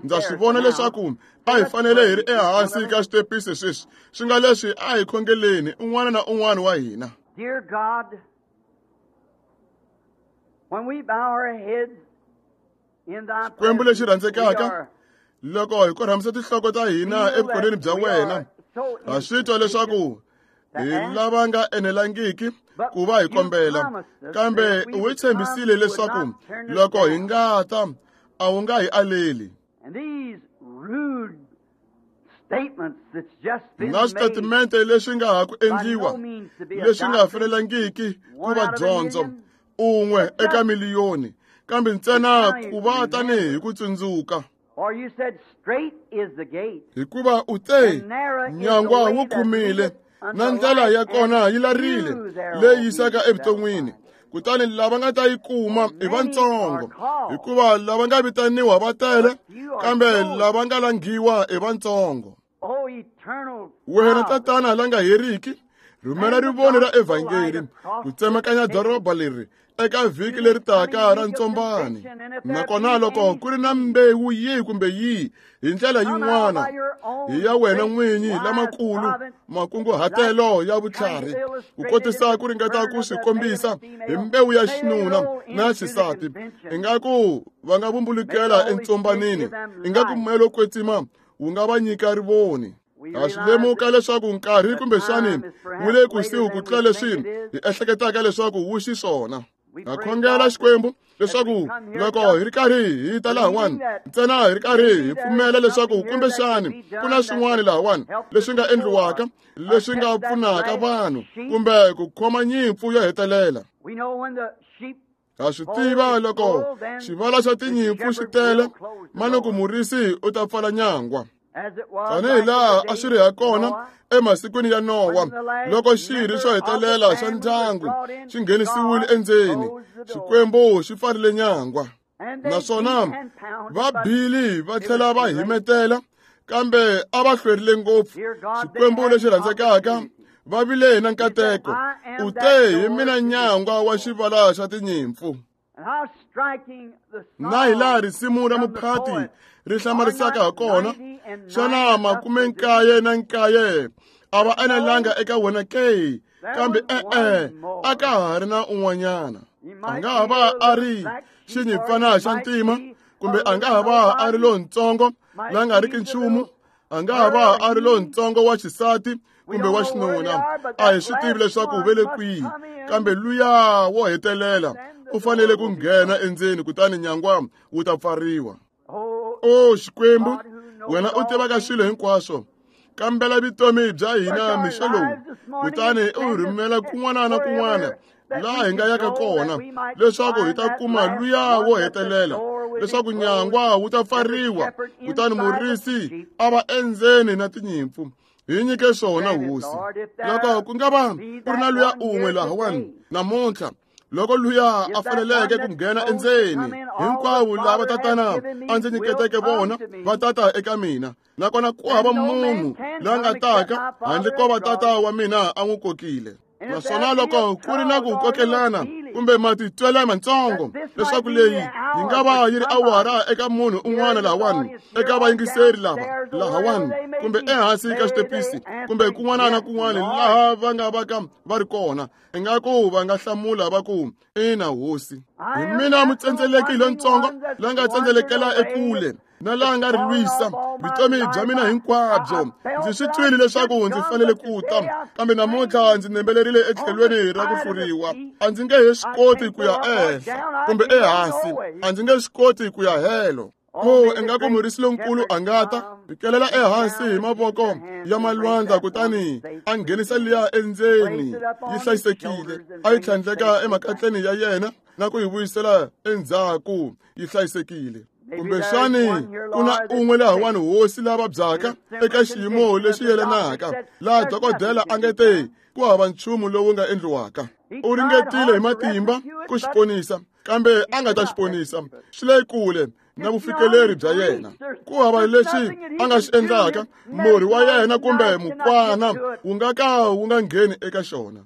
Ndza swi vona leswaku a hi fanele hi ri ehansi ka xitepisi sweswi. Swi nga leswi a hi khongeleni un'wana na un'wana wa hina. Dear God, when we bow our heads in thy Xikwembu lexi presence, we rhandzekaka, are loko hi korhamisa tinhloko ta hina evukoneni bya wena, ha swi twa leswaku hi lava nga enelangiki ku va hi kombela, kambe u hi tshembisile leswaku loko hi nga ta, a wu nga hi aleli. And these rude statements that's just been Na made switatimende leswi nga ha ku by endliwa, no means to be a leswi nga doctrine, fanelangiki ku one va out of a dyondzo, million, un'we but eka just miliyoni, kambe ntsena ku va tanihi ku tsundzuka. Or you said straight is the gate, Hikuva u te, and narrow is the nyangwa way wu that khumile, leadeth na unto ndlela life, ya kona and yi larile few there leyi will be yisaka that will evuton'wini. find it. Kutani lava nga ta yi kuma For i many vantsongo, are called, hikuva lava nga vitaniwa va tele, but few are kambe chosen. lava nga langiwa i vantsongo. O eternal Wena Father, Tatana la nga heriki, rhumela send the rivoni ra gospel light evhangeli across ku this tsemakanya nation doroba leri eka vhiki to leri this taka coming ra week of ntsombani. convention, and if there Nakona be loko any ku ri na seed mbewu yihi kumbe yihi hi ndlela come out yin'wana by your hi ya own wena great n'winyi wise lamakulu providence, makunguhatelo like ya trying to vutlhari, ku illustrate it in kotisa the ku ringeta burn ku of swi the male kombisa and hi female, mbewu ya may they xinuna roll na into the xisati, convention. ingaku va nga May the vumbulukela Holy Spirit entsombanini, give them ingaku light. moya lowo kwetsima wu nga va nyika rivoni. We Ha swi realize lemuka that leswaku nkarhi the kumbexani time is wu le perhaps later kusuhi ku than tlula we leswi think it hi is. ehleketaka leswaku wu xiswona. We Ha pray, khongela God, that Xikwembu as we leswaku come here loko just hi ri karhi hi ta lahawani, believing that ntsena hi ri karhi maybe hi there is pfumela leswaku something here that could kumbexani be ku na done that swin'wana could lahawani help the leswi nga people or endliwaka, leswi nga catch that pfunaka last vanhu sheep. kumbe ku khoma nyimpfu yo hetelela. We know when the sheep Ha swi fold tiva is loko full, then xivala xa the tinyimpfu xi shepherd tele, will close the manuku door. murisi u ta pfala nyangwa. As it was Tanihi like in the laha a swi days ri ha of kona Noah, emasikwini ya Nowa, when the last loko xirho member xo of the hetelela xa family was ndyangu brought in, xi nghenisiwile God endzeni, closed the door. Xikwembu xi pfarile nyangwa. Naswona va bile va tlhela va himetela, kambe a va hlwerile ngopfu. Xikwembu lexi rhandzekaka, va vile na nkateko. U te hi mina nyangwa wa xivala xa tinyimpfu. Na hi laha risimu ra muphati ri hlamarisaka ha kona, xana 99 a va enelanga eka wena ke? Kambe e-e, a ka ha ri na un'wanyana. A nga ha va a ri xinyimpfana xa ntima, kumbe a nga ha va a ri lontsongo la nga riki nchumu, a nga ha va a ri lontsongo wa xisati kumbe wa xinuna. A hi swi tivi leswaku ve le kwihi, kambe luya wo hetelela u fanele ku nghena endzeni, kutani nyangwa wu ta pfariwa. O Xikwembu, wena u tivaka swilo hinkwaswo, kambela vutomi bya hina mixo lowu, kutani u rhumela kun'wana na kun'wana laha hi nga yaka kona, leswaku hi ta kuma luya wo hetelela, leswaku nyangwa wu ta pfariwa, kutani murisi a va endzeni na tinyimpfu. Hi nyike swona, Hosi. Loko ku nga va ku ri na luya un'we lahawani namuntlha, loko luya a faneleke ku nghena endzeni, hinkwavo lava tatana a ndzi nyiketeke vona va tata eka mina, nakona ku hava munhu la nga taka handle ko va tata wa mina a n'wi kokile. Naswona loko ku ri na ku kokelana kumbe matitwela matsongo, leswaku leyi yi nga va yi ri awara eka munhu un'wana lahawani, eka vayingiseri lava lahawani, kumbe ehansi ka xitepisi, kumbe kun'wana na kun'wana laha va nga va ka va ri kona, ingaku va nga hlamula va ku, ina Hosi, hi mina mutsendzeleki lontsongo la nga tsendzelekela ekule na laha nga ri lwisa vutomi bya mina hinkwabyo. Ndzi swi twile leswaku ndzi fanele ku ta, kambe namuntlha ndzi nembelerile etlhelweni ra ku hluriwa. A ndzi nge he swi koti ku ya ehenhla kumbe ehansi, a ndzi nge swi koti ku ya helo. Ko ingaku murisi lonkulu a nga ta fikelela ehansi hi mavoko ya malwandla, kutani a nghenisa liya endzeni yi hlayisekile, a yi tlhandleka emakatleni ya yena na ku yi vuyisela endzhaku yi hlayisekile. Kumbexani ku na un'we lahawani, Hosi, la vabyaka eka xiyimo lexi yelanaka, laha dokodela a nge te ku hava nchumu lowu nga endliwaka. U ringetile hi matimba ku xi ponisa, kambe a nga ta xi ponisa. Swi le kule na vufikeleri bya yena. Ku hava lexi a nga xi endlaka, murhi wa yena kumbe mukwana wu nga ka wu nga ngheni eka xona.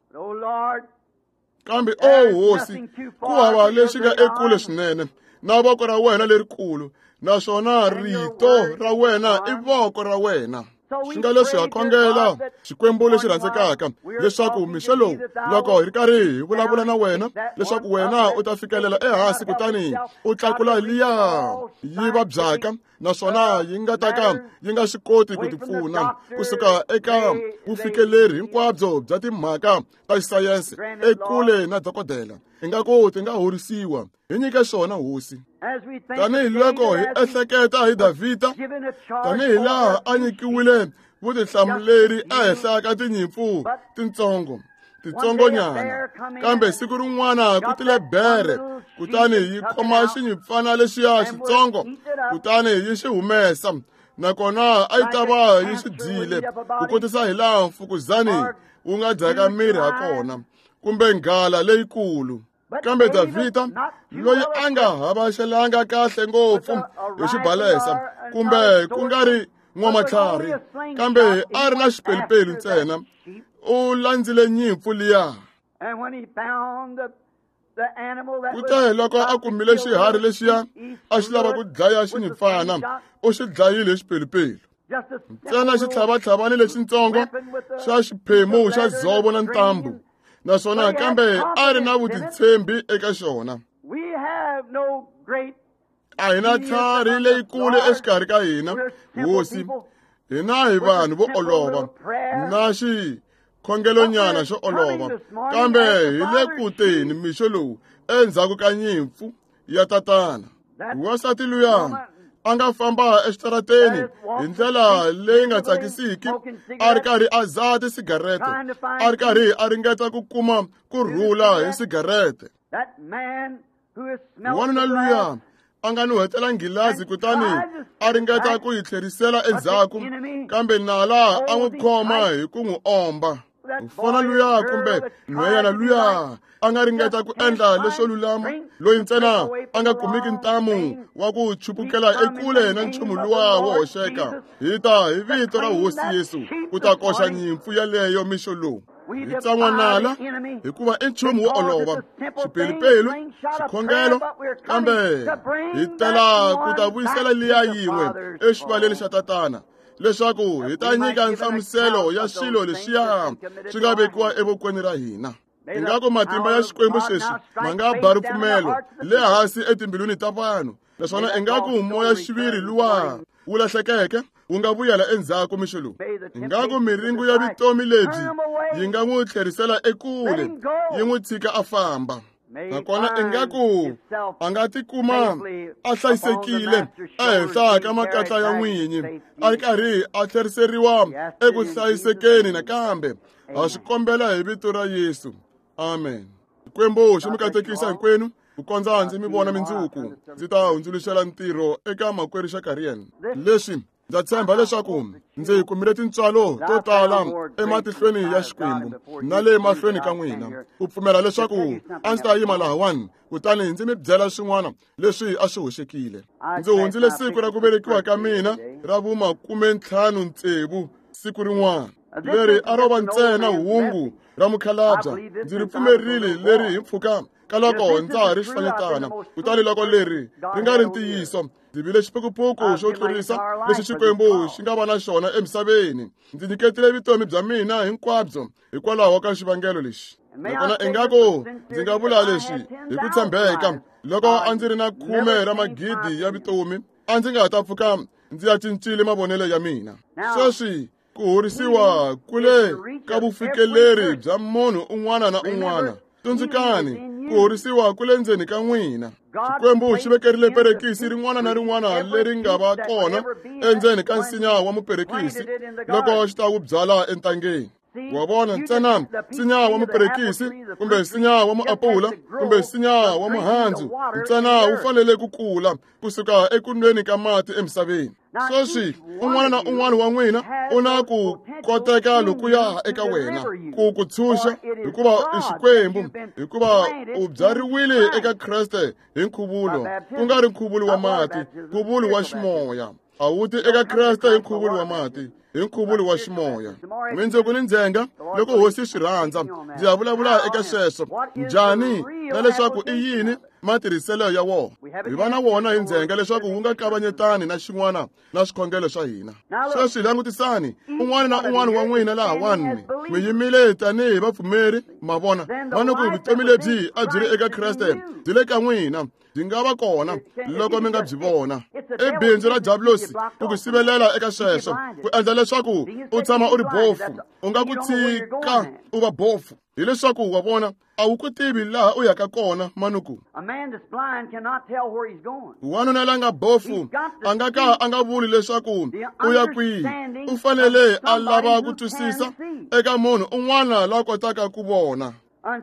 Kambe o Hosi, ku hava lexi nga ekule swinene na voko ra wena lerikulu, naswona rito ra wena i voko ra wena. Swi nga leswi ha khongela, Xikwembu lexi rhandzekaka, leswaku mixo lowu, loko hi ri karhi hi vulavula na wena, leswaku wena u ta fikelela ehansi kutani u tlakula liya yi vabyaka, naswona yi nga ta ka yi nga swi koti ku tipfuna kusuka eka vufikeleri hinkwabyo bya timhaka ta xisayense ekule na dokodela, ingaku ti nga horisiwa. Hi nyike swona, Hosi. Tanihi loko hi ehleketa hi Davhida, tanihi laha a nyikiwile vutihlamuleri ehenhla ka tinyimpfu tintsongo titsongonyana, kambe siku rin'wana ku tile bere, kutani yi khoma xinyimpfana lexiya xitsongo, kutani yi xi humesa, nakona a yi ta va yi xi dyile ku kotisa hi laha mfukuzani wu nga dyaka miri ha kona, kumbe nghala leyikulu. Kambe Davhida, loyi a nga havaxelanga kahle ngopfu hi xibalesa, kumbe ku nga ri n'wamatlhari, kambe a ri na xipelupelu ntsena, u landzile nyimpfu liya. Kute loko a kumile xiharhi lexiya a xi lava ku dlaya xinyimpfana, u xi dlayile hi xipelupelu. Ntsena xitlhavatlhavani lexitsongo xa xiphemu xa dzovo na ntambu, naswona kambe a ri na vutitshembi eka xona. A hi na tlhari leyikulu exikarhi ka hina, Hosi. Hina hi vanhu vo olova na xikhongelonyana xo olova, kambe hi le ku teni mixo lowu endzhaku ka nyimpfu ya tatana. Wansati luya a nga famba exitarateni hi ndlela leyi nga tsakisiki, a ri karhi a dzaha tisigarete, a ri karhi a ringeta ku kuma ku rhula hi sigarete. Wanuna luya a nga nuhetela nghilazi kutani a ringeta ku yi tlherisela endzhaku, kambe nala a n'wi khoma hi ku n'wi omba. Ku fana luya kumbe nhweyana luya a nga ringeta ku endla leswo lulama, loyi ntsena a nga kumiki ntamu wa ku chupukela ekule na nchumu luwa wo hoxeka. Hi ta hi vito ra Hosi Yesu ku ta koxa nyimpfu yaleyo mixo lowu. Hi tsan'wa nala hikuva i nchumu wo olova, xipelupelu, xikhongelo, kambe hi tela ku ta vuyisela liya yin'we exivaleni xa Tatana, leswaku hi ta nyika nhlamuselo ya swilo leswiya swi nga vekiwa evokweni ra hina. Ingaku matimba ya Xikwembu sweswi ma nga ba ripfumelo le hansi etimbilwini ta vanhu, naswona ingaku moya xiviri luwa wu lahlekeke wu nga vuyela endzhaku mixo lowu. Ingaku miringu ya vutomi lebyi yi nga n'wi tlherisela ekule, yi n'wi tshika a famba. Nakona ingaku a nga tikuma a hlayisekile ehenhla ka makatla ya n'winyi, a ri karhi a tlheriseriwa eku hlayisekeni nakambe. Ha swi kombela hi vito ra Yesu. Amen. Xikwembu xi mi katekisa hinkwenu ku kondza ndzi mi vona mindzuku. Ndzi ta hundzuluxela ntirho eka makwerhu Shakarian. Leswi ndza tshemba leswaku ndzi kumile tintswalo to tala ematihlweni ya Xikwembu na le mahlweni ka n'wina, ku pfumela leswaku a ndzi ta yima lahawani kutani ndzi mi byela swin'wana leswi a swi hoxekile. Ndzi hundzile siku ra ku velekiwa ka mina ra vu-56 siku rin'wana leri a ro va ntsena hungu ra mukhalabya. Ndzi ri pfumerile leri hi mpfhuka ka loko ndza ha ri xifanyetana, kutani loko leri ri nga ri ntiyiso, ndzi vile xiphukuphuku xo tlurisa lexi Xikwembu xi nga va na xona emisaveni. Ndzi nyiketile vutomi bya mina hinkwabyo hikwalaho ka xivangelo lexi. Nakona ingaku ndzi nga vula leswi hi ku tshembeka, loko a ndzi ri na 10 ra magidi ya vutomi, a ndzi nga ta pfuka ndzi ya cincile mavonelo ya mina. Sweswi ku horisiwa kule ka vufikeleri bya munhu un'wana na un'wana. Tsundzukani, ku horisiwa kule ndzeni ka n'wina. Xikwembu xi vekerile perekisi rin'wana na rin'wana leri nga va kona endzeni ka nsinya wa muperekisi loko xi ta wu byala entangeni. Wa vona, ntsena nsinya wa muperekisi kumbe nsinya wa muapula kumbe nsinya wa muhandzu ntsena wu fanele ku kula kusuka ekunweni ka mati emisaveni. Sweswi un'wana na un'wana wa n'wina u na ku koteka lokuya eka wena ku ku tshunxa, hikuva i Xikwembu, hikuva u byariwile eka Kreste hi nkhuvulo, ku nga ri nkhuvulo wa mati, nkhuvulo wa ximoya. A wu ti eka Kreste hi nkhuvulo wa mati, hi nkhuvulo wa ximoya. Mindzuku ni ndzhenga loko Hosi swi rhandza, ndzi ya vulavula eka sweswo njhani na leswaku i yini matirhiselo ya wona. Hi va na wona hi ndzhenga leswaku wu nga kavanyetani na xin'wana na swikhongelo swa hina. Sweswi langutisani, un'wana na un'wana wa n'wina lahawani mi yimile tanihi vapfumeri, ma vona, manuku vutomi lebyi a byi ri eka Kreste byi le ka n'wina, byi nga va kona loko mi nga byi vona. I bindzu ra Diablosi ku ku sivelela eka sweswo, ku endla leswaku u tshama u ri bofu, u nga ku tshika u va bofu, hileswaku wa vona a wu ku tivi laha u yaka kona manuku. Wanuna la nga bofu a nga ka a nga vuli leswaku u ya kwihi, u fanele a lava ku twisisa eka munhu un'wana la kotaka ku vona.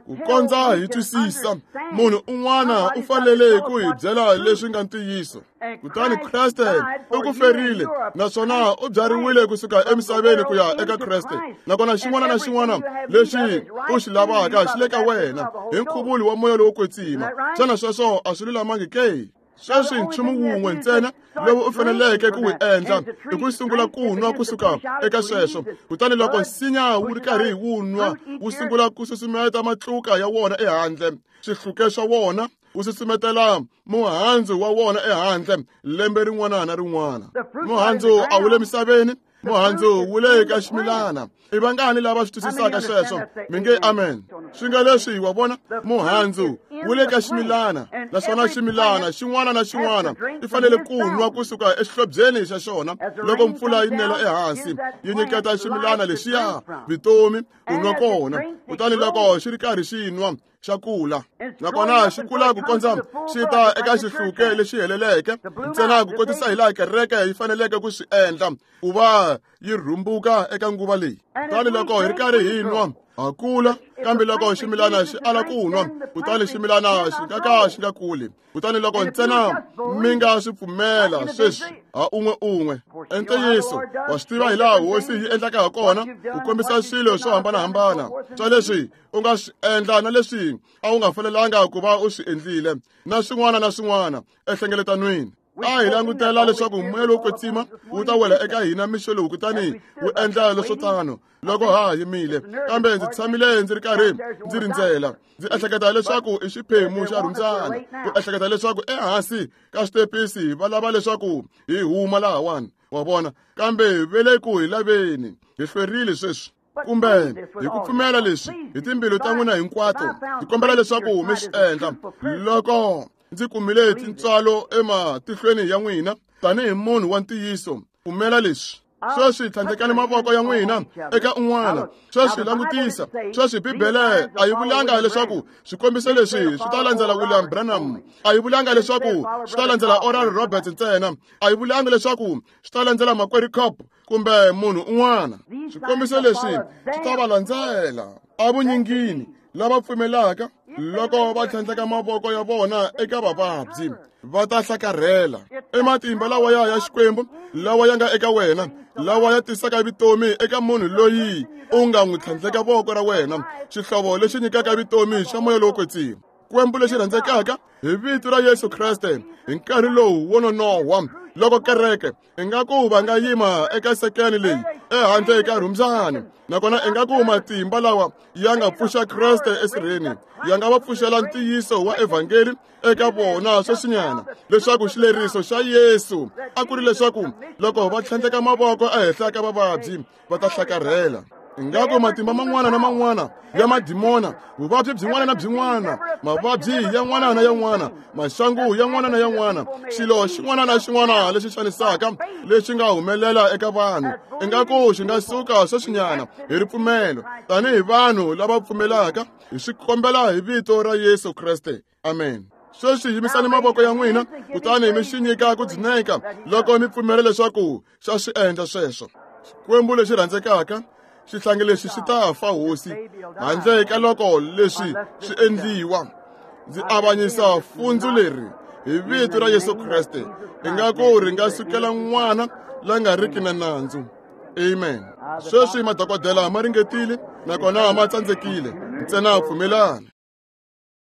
Ku kondza hi twisisa, munhu un'wana u fanele ku hi byela leswi nga ntiyiso. Kutani Kreste u ku ferile, naswona u byariwile kusuka emisaveni ku ya eka Kreste. Nakona xin'wana na xin'wana lexi u xi lavaka xi le ka wena hi nkhuvulo wa moya lowo kwetsima. Xana sweswo a swi lulamangi ke? Sweswi nchumu wun'we ntsena lowu u faneleke ku wu endla i ku sungula ku nwa kusuka eka sweswo. Kutani loko nsinya wu ri karhi wu nwa, wu sungula ku susumeta matluka ya wona ehandle, swihluke swa wona, wu susumetela muhandzu wa wona ehandle lembe rin'wana na rin'wana. Muhandzu a wu le misaveni, muhandzu wu le ka ximilana. I vangani lava swi twisisaka sweswo? Mi nge amen. Swi nga leswi, wa vona, muhandzu wu le ka ximilana, naswona ximilana xin'wana na xin'wana i fanele ku nwa kusuka exihlobyeni xa xona. Loko mpfula yi nela ehansi, yi nyiketa ximilana lexiya vutomi ku nwa kona. Kutani loko xi ri karhi xi nwa, xa kula, nakona xi kula ku kondza xi ta eka xihluke lexi heleleke, ntsena ku kotisa hi laha kereke yi faneleke ku swi endla ku va yi rhumbuka eka nguva leyi. Kutani loko hi ri karhi hi nwa, ha kula, Kambe loko ximilana xi ala ku nwa, kutani ximilana xi nga ka xi nga kuli. Kutani loko ntsena mi nga swi pfumela sweswi ha un'we un'we, i ntiyiso wa swi tiva hi laha hosi yi endlaka ha kona ku kombisa swilo swo hambanahambana swa leswi u nga swi endla na leswi a wu nga fanelanga ku va u swi endlile na swin'wana na swin'wana enhlengeletanweni. A hi langutela leswaku moya lowo kwetsima wu ta wela eka hina mixo lowu kutani wu endla leswo tano loko ha yimile. Kambe ndzi tshamile ndzi ri karhi ndzi rindzela, ndzi ehleketa leswaku i xiphemu xa rhumbyana, ku ehleketa leswaku ehansi ka xitepisi va lava leswaku hi huma lahawani, wa vona. Kambe ve le ku hi laveni, hi hlwerile sweswi. Kumbe hi ku pfumela leswi hi timbilu ta n'wina hinkwato, ndzi kombela leswaku mi swi endla. Loko ndzi kumile tintswalo ematihlweni ya n'wina tanihi munhu wa ntiyiso, pfumela leswi. Sweswi tlhandlekani mavoko ya n'wina eka un'wana. Sweswi langutisa. Sweswi Bibele a yi vulanga leswaku swikombiso leswi swi ta landzela William Branham. A yi vulanga leswaku swi ta landzela Oral Roberts ntsena. A yi vulanga leswaku swi ta landzela Makwerhu Cobb kumbe munhu un'wana. Swikombiso leswi swi ta va landzela evunyingini lava pfumelaka loko va tlhandleka mavoko ya vona eka vavabyi, va ta hlakarhela. I matimba lawa ya Xikwembu lawa ya nga eka wena, lawa ya tisaka vutomi eka munhu loyi u nga n'wi tlhandleka voko ra wena, xihlovo lexi nyikaka vutomi xa moya lowo kwetsima. Xikwembu lexi rhandzekaka, hi vito ra Yesu Kreste, hi nkarhi lowu wo nonohwa loko kereke ingaku va nga yima eka sekeni leyi ehandle ka rhumbyana, nakona ingaku matimba lawa ya nga pfuxa Kreste esirheni ya nga va pfuxela ntiyiso wa evhangeli eka vona sweswinyana, leswaku xileriso xa Yesu a ku ri leswaku loko va tlhandleka mavoko ehenhla ka vavabyi va ta hlakarhela. Ingaku matimba man'wana na man'wana ya madimona, vuvabyi byin'wana na byin'wana, mavabyi yan'wana na yan'wana, maxangu yan'wana na yan'wana, xilo xin'wana na xin'wana lexi xanisaka lexi nga humelela eka vanhu, ingaku xi nga suka sweswinyana hi ripfumelo tanihi vanhu lava pfumelaka. Hi swi kombela hi vito ra Yesu Kreste, amen. Sweswi yimisani mavoko ya n'wina kutani mi xi nyika ku dzuneka loko mi pfumela leswaku xa swi endla sweswo. Xikwembu lexi rhandzekaka, xihlangi lexi xi ta fa, hosi, handle ka loko leswi swi endliwa. Ndzi avanyisa fundzu leri hi vito ra Yesu Kreste, ingaku ri nga sukela n'wana la nga riki na nandzu. Amen. Sweswi madokodela ma ringetile nakona ma tsandzekile, ntsena pfumelani.